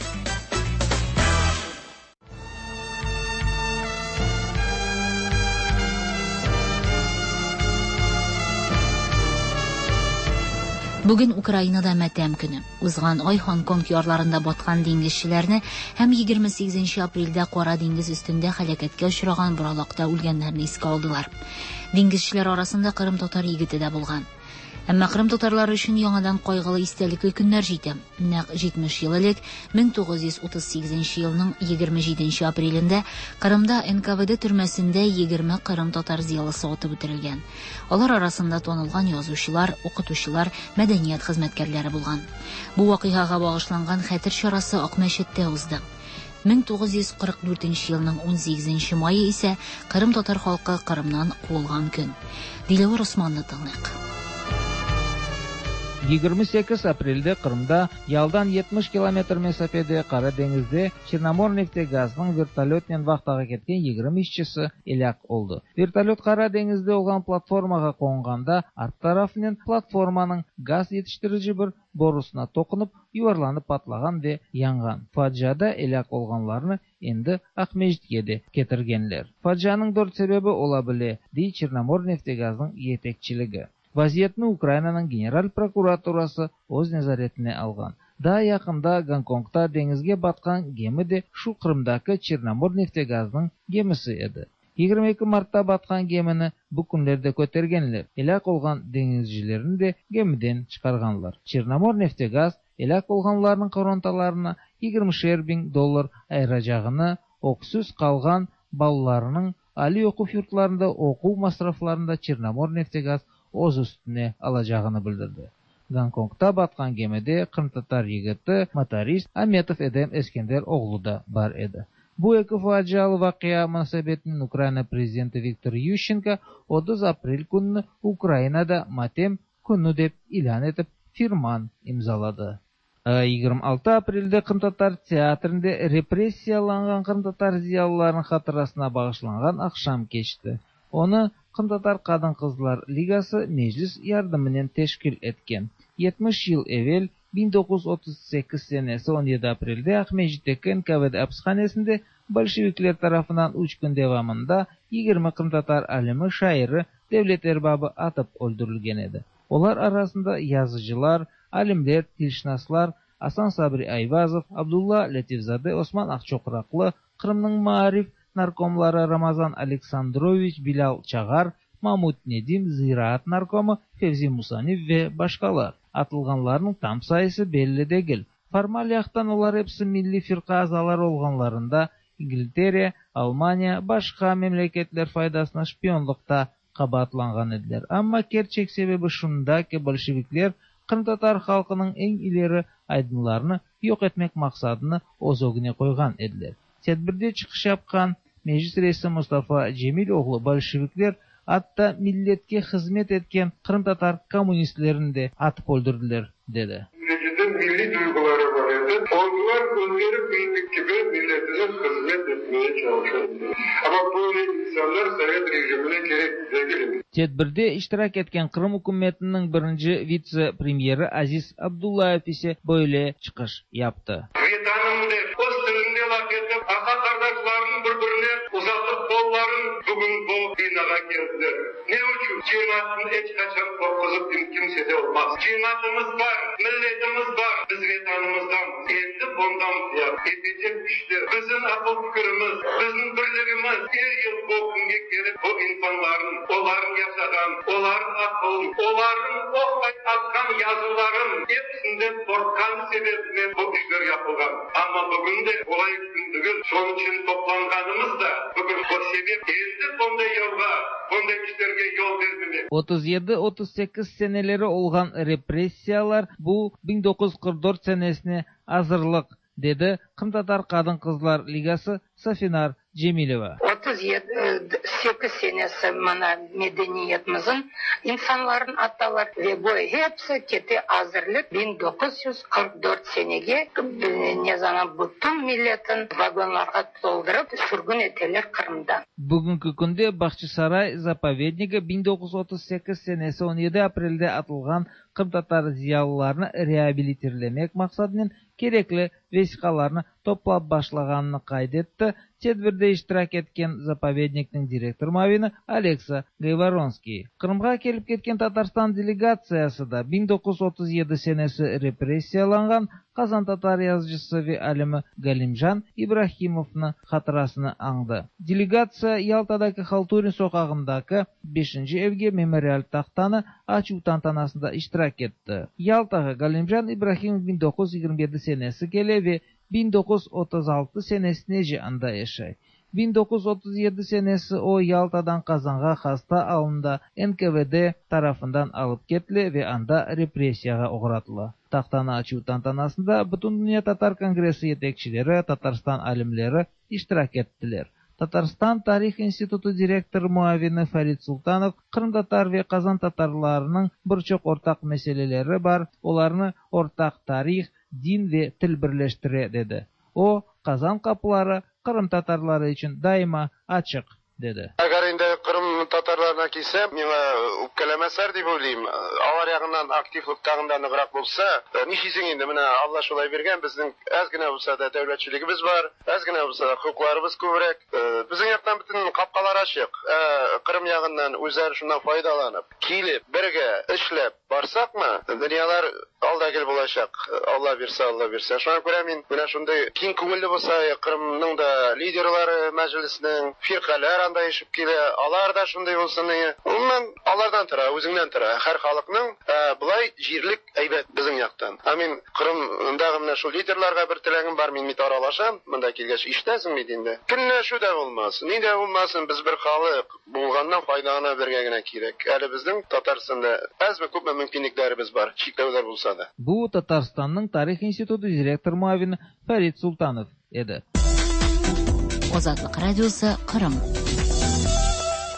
Бүген Украинада матәм көне. Узган ай Һонконг ярларында баткан диңгезчеләрне һәм 28 апрельдә Кара диңгез өстендә һәлакәткә очраган боралакта үлгәннәрне искә алдылар. Диңгезчеләр арасында Кырым татар егете дә булган. Әмма Кырым татарлары өчен яңадан кайгылы истәлекле көннәр җитә. Нәкъ 70 ел элек 1938 елның 27 апрелендә Кырымда НКВД төрмәсендә 20 Кырым татар зыялысы атып үтерелгән. Алар арасында танылган язучылар, укытучылар, мәдәният хезмәткәрләре булган. Бу вакыйгага багышланган хәтер чарасы Акмәчеттә узды. 1944 елның 18 мае исә Кырым татар халкы Кырымнан куылган көн. Диләвер Османны тыңлыйк. 28 aprelde Qırımda yalıdan 70 kilometr mesafede Qara deñizde Çernomorneftegaznıñ vertolötnen vahtağa ketken 20 işçisi elâk oldı. Vertolöt Qara deñizde olğan platformağa qonğanda art tarafınen platformanıñ gaz yetiştirici bir borusına toqunıp, yuvarlanıp patlağan ve yanğan. Faciada elâk olğanlarnı endi Aqmescitke de ketirgenler. Facianıñ dört sebebi ola bile, dey Çernomorneftegaznıñ yetekçiligi. Vaziyetni Ukrainanıñ General prokuraturası öz nezaretine alğan. Daa yaqında Gonkongda deñizge batqan gemi de şu Qırımdaki Çernomorneftegaznıñ gemisi edi. 22 martta batqan gemini bu künlerde kötergenler, elâk olğan deñizcilerni de gemiden çıqarğanlar. Çernomorneftegaz elâk olğanlarnıñ qorantalarına yigirmişer biñ dollar ayıracağını, öksüz qalğan balalarınıñ aliy oquv yurtlarında oquv masraflarını da Çernomorneftegaz öz üstüne alacağını bildirdi. Gonkongda batqan gemide qırımtatar yigiti, motorist Ametov Edem Eskender oğlu da bar edi. Bu eki facialı vaqia munasebetinen Ukraina prezidenti Viktor Yuşçenko 30 aprel kününi Ukrainada matem künü dep ilân etip firman imzaladı. 26 aprelde Qırımtatar teatrinde repressiyalanğan qırımtatar ziyalılarınıñ hatırasına bağışlanğan aqşam keçti. Onı Qırımtatar qadın-qızlar ligası Meclis yardımınen teşkil etken. 70 yıl evel, 1938 senesi 17 aprelde Aqmescitteki NKVD apishanesinde bolşevikler tarafından üç kün devamında 20 qırımtatar alimi, şairi, devlet erbabı atıp öldürilgen edi. Olar arasında yazıcılar, alimler, tilşınaslar Asan Sabri Ayvazov, Abdulla Lâtifzade, Osman Aqçoqraqlı, Qırımnıñ maarif narkomları Ramazan Aleksandroviç, Bilâl Çağar, Mamut Nedim, ziraat narkomı Fevzi Musaniv ve başqalar. Atılğanlarnıñ tam sayısı belli degil. Formal yaqtan olar episi Milliy firqa azaları olğanlarında İngiltere, Almaniya, başqa memleketler faydasına şpionlıqta qabaatlanğan ediler. Amma kerçek sebebi şunda ki, bolşevikler qırımtatar halqınıñ eñ ileri aydınlarını yoq etmek maqsadını öz ögüne qoyğan ediler. Tedbirde çıqış yapqan Meclis reisi Mustafa Cemil oğlu bolşevikler atta milletke hızmet etken qırımtatar kommunistlerini de atıp öldürdiler, dedi. Neticede milliy duyğuları bar edi. Onlar özleri bildik kibi milletine hızmet etmeye çalışa ediler. Amma böyle insanlar sovet rejimine kerek degil edi. Tedbirde iştirak etken Qırım ükümetiniñ birinci vitse-premyeri Aziz Abdullayev ise böyle çıqış yaptı. Vetanım dep, öz tilinde laf etip, ağa-qardaşlarnıñ bir-birine uzatıp qolların bugün bu binağa keldiler. Ne içün? Cemaatnı eç qaçan qorquzıp kimse de olmaz. Cemaatımız bar, milletimiz bar, biz Vetanımızdamız. Endi bundan ziyade etecek işler, bizim aqıl-fikirimiz, bizim birligimiz er yıl bu künge kelip bu insanlarnıñ, olarnıñ yaşağan, olarnıñ aqıl, olarnıñ oqmay atqan yazıların episinden qorqqanı sebebinen bu işler yapılğan. Amma bugün de qolay kün degil, şonıñ içün toplanğanımız da bugün bu sebep, endi bunday yolğa, bunday işlerge yol bermemek. 37, 38 seneleri olğan repressiyalar bu 1944 senesine azırlıq, dedi Qırımtatar qadın-qızlar ligası Safinar Cemileva. 37, sekiz senesi mına medeniyetimizin insanların atalar ve bu hepsi kete azırlık 1944 senege ne zaman bütün milletin vagonlarğa toldurıp sürgün eteler Qırımdan. Bugünki künde Bağçasaray zapovednigi 1938 senesi 17 aprelde atılğan qırımtatar ziyalılarını reabilitirlemek maqsadınen kerekli vesiqalarnı toplap başlağanını qayd etti tedbirde iştirak etken zapovednikniñ direktor muavini Oleksa Gayvoronskiy. Qırımğa kelip ketken Tatarstan delegatsiyası da 1937 senesi repressiyalanğan qazantatar yazıcısı ve alimi Galimjan İbrahimovnı hatırasını añdı. Delegatsiya Yaltadaki Halturin soqağındaki beşinci evge memorial tahtanı açuv tantanasında iştirak etti. Yaltağa Galimjan İbrahimov 1927 senesi kele ve 1936 senesinece anda yaşay. 1937 senesi o Yaltadan Qazanğa hasta alında NKVD tarafından alıp ketile ve anda repressiyağa oğratıla. Tahtanı açuv tantanasında Bütündünya tatar kongressi yetekçileri, Tatarstan alimleri iştirak ettiler. Tatarstan tarih institutı direktor muavini Farid Sultanov qırımtatar ve qazan tatarlarınıñ bir çoq ortaq meseleleri bar, olarnı ortaq tarih, din ve til birleştire, dedi. O, Qazan qapıları qırımtatarları içün daima açıq, dedi. Әгәр инде Кырым татарларына килсәм, миңа үпкәләмәсләр дип уйлыйм. Алар ягыннан активлык тагын да ныграк булса, нишлисең инде, менә Алла шулай биргән, безнең әз генә булса да дәүләтчелегебез бар, әз генә булса да хокукларыбыз күбрәк. Безнең яктан бөтен капкалар ачык. Ә Кырым ягыннан үзләре шуннан файдаланып, килеп, бергә эшләп барсакмы, дөньялар алда гел булачак. Алла бирсә, Алла бирсә. Шуңа күрә мин менә шундый киң күңелле булса, Кырымның да лидерлары мәҗлеснең, фиркаләр анда ишеп килә, алар да шундый булсын. Гомумән, алардан тора, үзеңнән тора. Һәр халыкның болай җирлек әйбәт безнең яктан. Ә мин Кырымдагы менә шул лидерларга бер теләгем бар, мин бит аралашам, монда килгәч ишетәсең бит инде. Көнләшү дә булмас, ни дә булмасын, без бер халык булганнан файдалана белергә генә кирәк. Әле безнең Татарстанда әзме-күпме мөмкинлекләребез бар, чикләүләр булса да. Бу Татарстанның тарих институты директор муавины Фәрит Солтанов edi. Азатлык радиосы Кырым.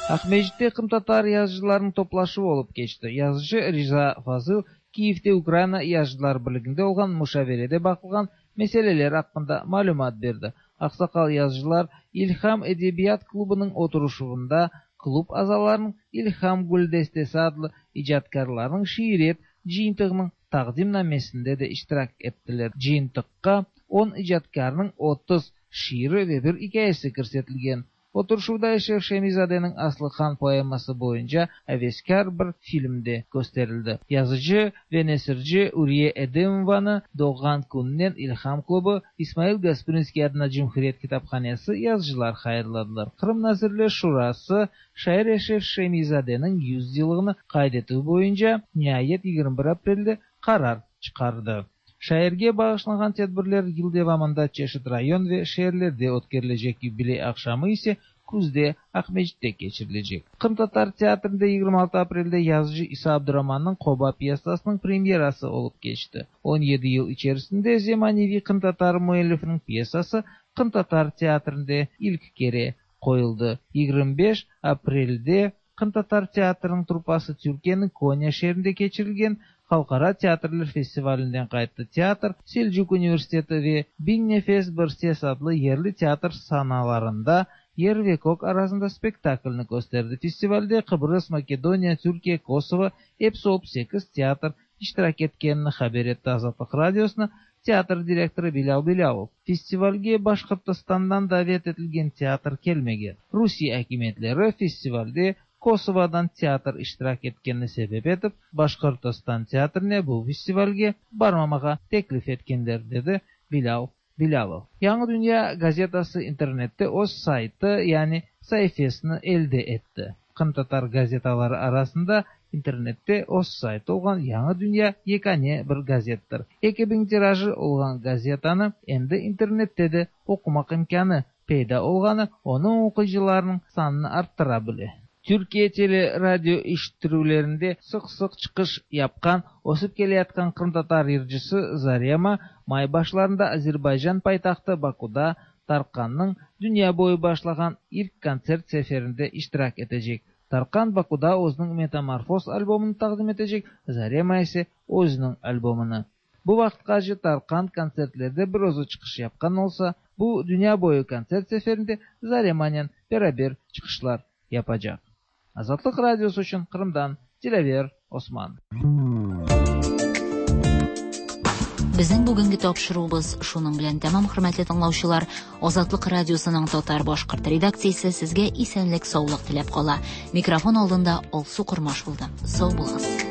Акмесджитте кырымтатар языcılarınıñ toplaşuvı olıp keçti. Yazıcı Riza Fazıl Kiyevde Ukraina Yazıcılar birliginde olğan muşaverede baqılğan meseleler aqqında malümat berdi. Aqsaqal yazıcılar İlham edebiyat klubınıñ oturışuvında klub azalarınıñ İlham güldestesi adlı icatkârlarnıñ şiiriyet cıyıntığınıñ taqdimnamesinde de iştirak ettiler. Cıyıntıqqa on icatkârnıñ 30 şiiri ve bir ikâyesi kirsetilgen. Oturışuvda Eşref Şemi-zadeniñ Aslıhan poeması boyunca aveskâr bir film de kösterildi. Yazıcı ve nesirci Uriye Edemovanı doğğan kününen İlham klubı, İsmail Gasprinskiy adına Cumhuriyet kitaphanesi yazıcılar hayırladılar. Qırım Nazirler Şurası şair Eşref Şemi-zadeniñ 100 yıllığını qayd etüv boyunca niayet 21 aprelde qarar çıqardı. Şairge bağışlanğan tedbirler yıl devamında çeşit rayon ve şeerlerde ötkerilecek, yubiley aqşamı ise küzde Aqmescitte keçirilecek. Qırımtatar teatrinde 26 aprelde yazıcı İsa Abduramannıñ Qoba pyesasınıñ premyerası olıp keçti. 17 yıl içerisinde zemaneviy qırımtatar müellifiniñ pyesası qırımtatar teatrinde ilk kere qoyuldı. 25 aprelde Qırımtatar teatriniñ truppası Türkiyeniñ Konya şeerinde keçirilgen Halqara teatrler festivalinden qayttı. Teatr Selcuk universiteti ve Biñ nefes bir ses adlı yerli teatr sanalarında Yer ve kök arasında spektaklni kösterdi. Festivalde Qıbrız, Makedoniya, Türkiye, Kosovo, episi olıp sekiz teatr iştirak etkenini haber etti Azatlıq Radiosına teatr direktorı Bilâl Bilâlov. Festivalge Başqırtistandan davet etilgen teatr kelmegen. Rusiye akimiyetleri festivalde Kosovodan teatr iştirak etkenini sebep etip, Başqırtistan teatrine bu festivalge barmamağa teklif etkenler, dedi Bilâl Bilâlov. Yañı dünya gazetası internette öz saytı, yani saifesini elde etti. Qırımtatar gazetaları arasında internette öz saytı olğan Yañı dünya yekâne bir gazettir. 2000 tirajı olğan gazetanı endi internette de oqumaq imkânı peyda olğanı onıñ oquyıcılarınıñ sanını arttıra bile. Türkiye tele radio eşittirüvlerinde sıq-sıq çıqış yapqan, ösip keleyatqan qırımtatar yırcısı Zarema may başlarında Azerbaycan paytahtı Bakuda Tarqannıñ dünya boyu başlağan ilk kontsert seferinde iştirak etecek. Tarqan Bakuda özüniñ Metamorfoz albomını taqdim etecek, Zarema ise özüniñ albomını. Bu vaqıtqace Tarqan kontsertlerde bir özü çıqış yapqan olsa, bu dünya boyu kontsert seferinde Zaremanen beraber çıqışlar yapacaq. Azatlıq Radiosı içün Qırımdan Dilâver Osman. Безнең бүгенге тапшыруыбыз шуның белән тәмам, хөрмәтле тыңлаучылар. Азатлык радиосының татар-башкорт редакциясе сезгә исәнлек-саулык теләп кала. Микрофон алдында Алсу Кормаш булды. Сау булыгыз.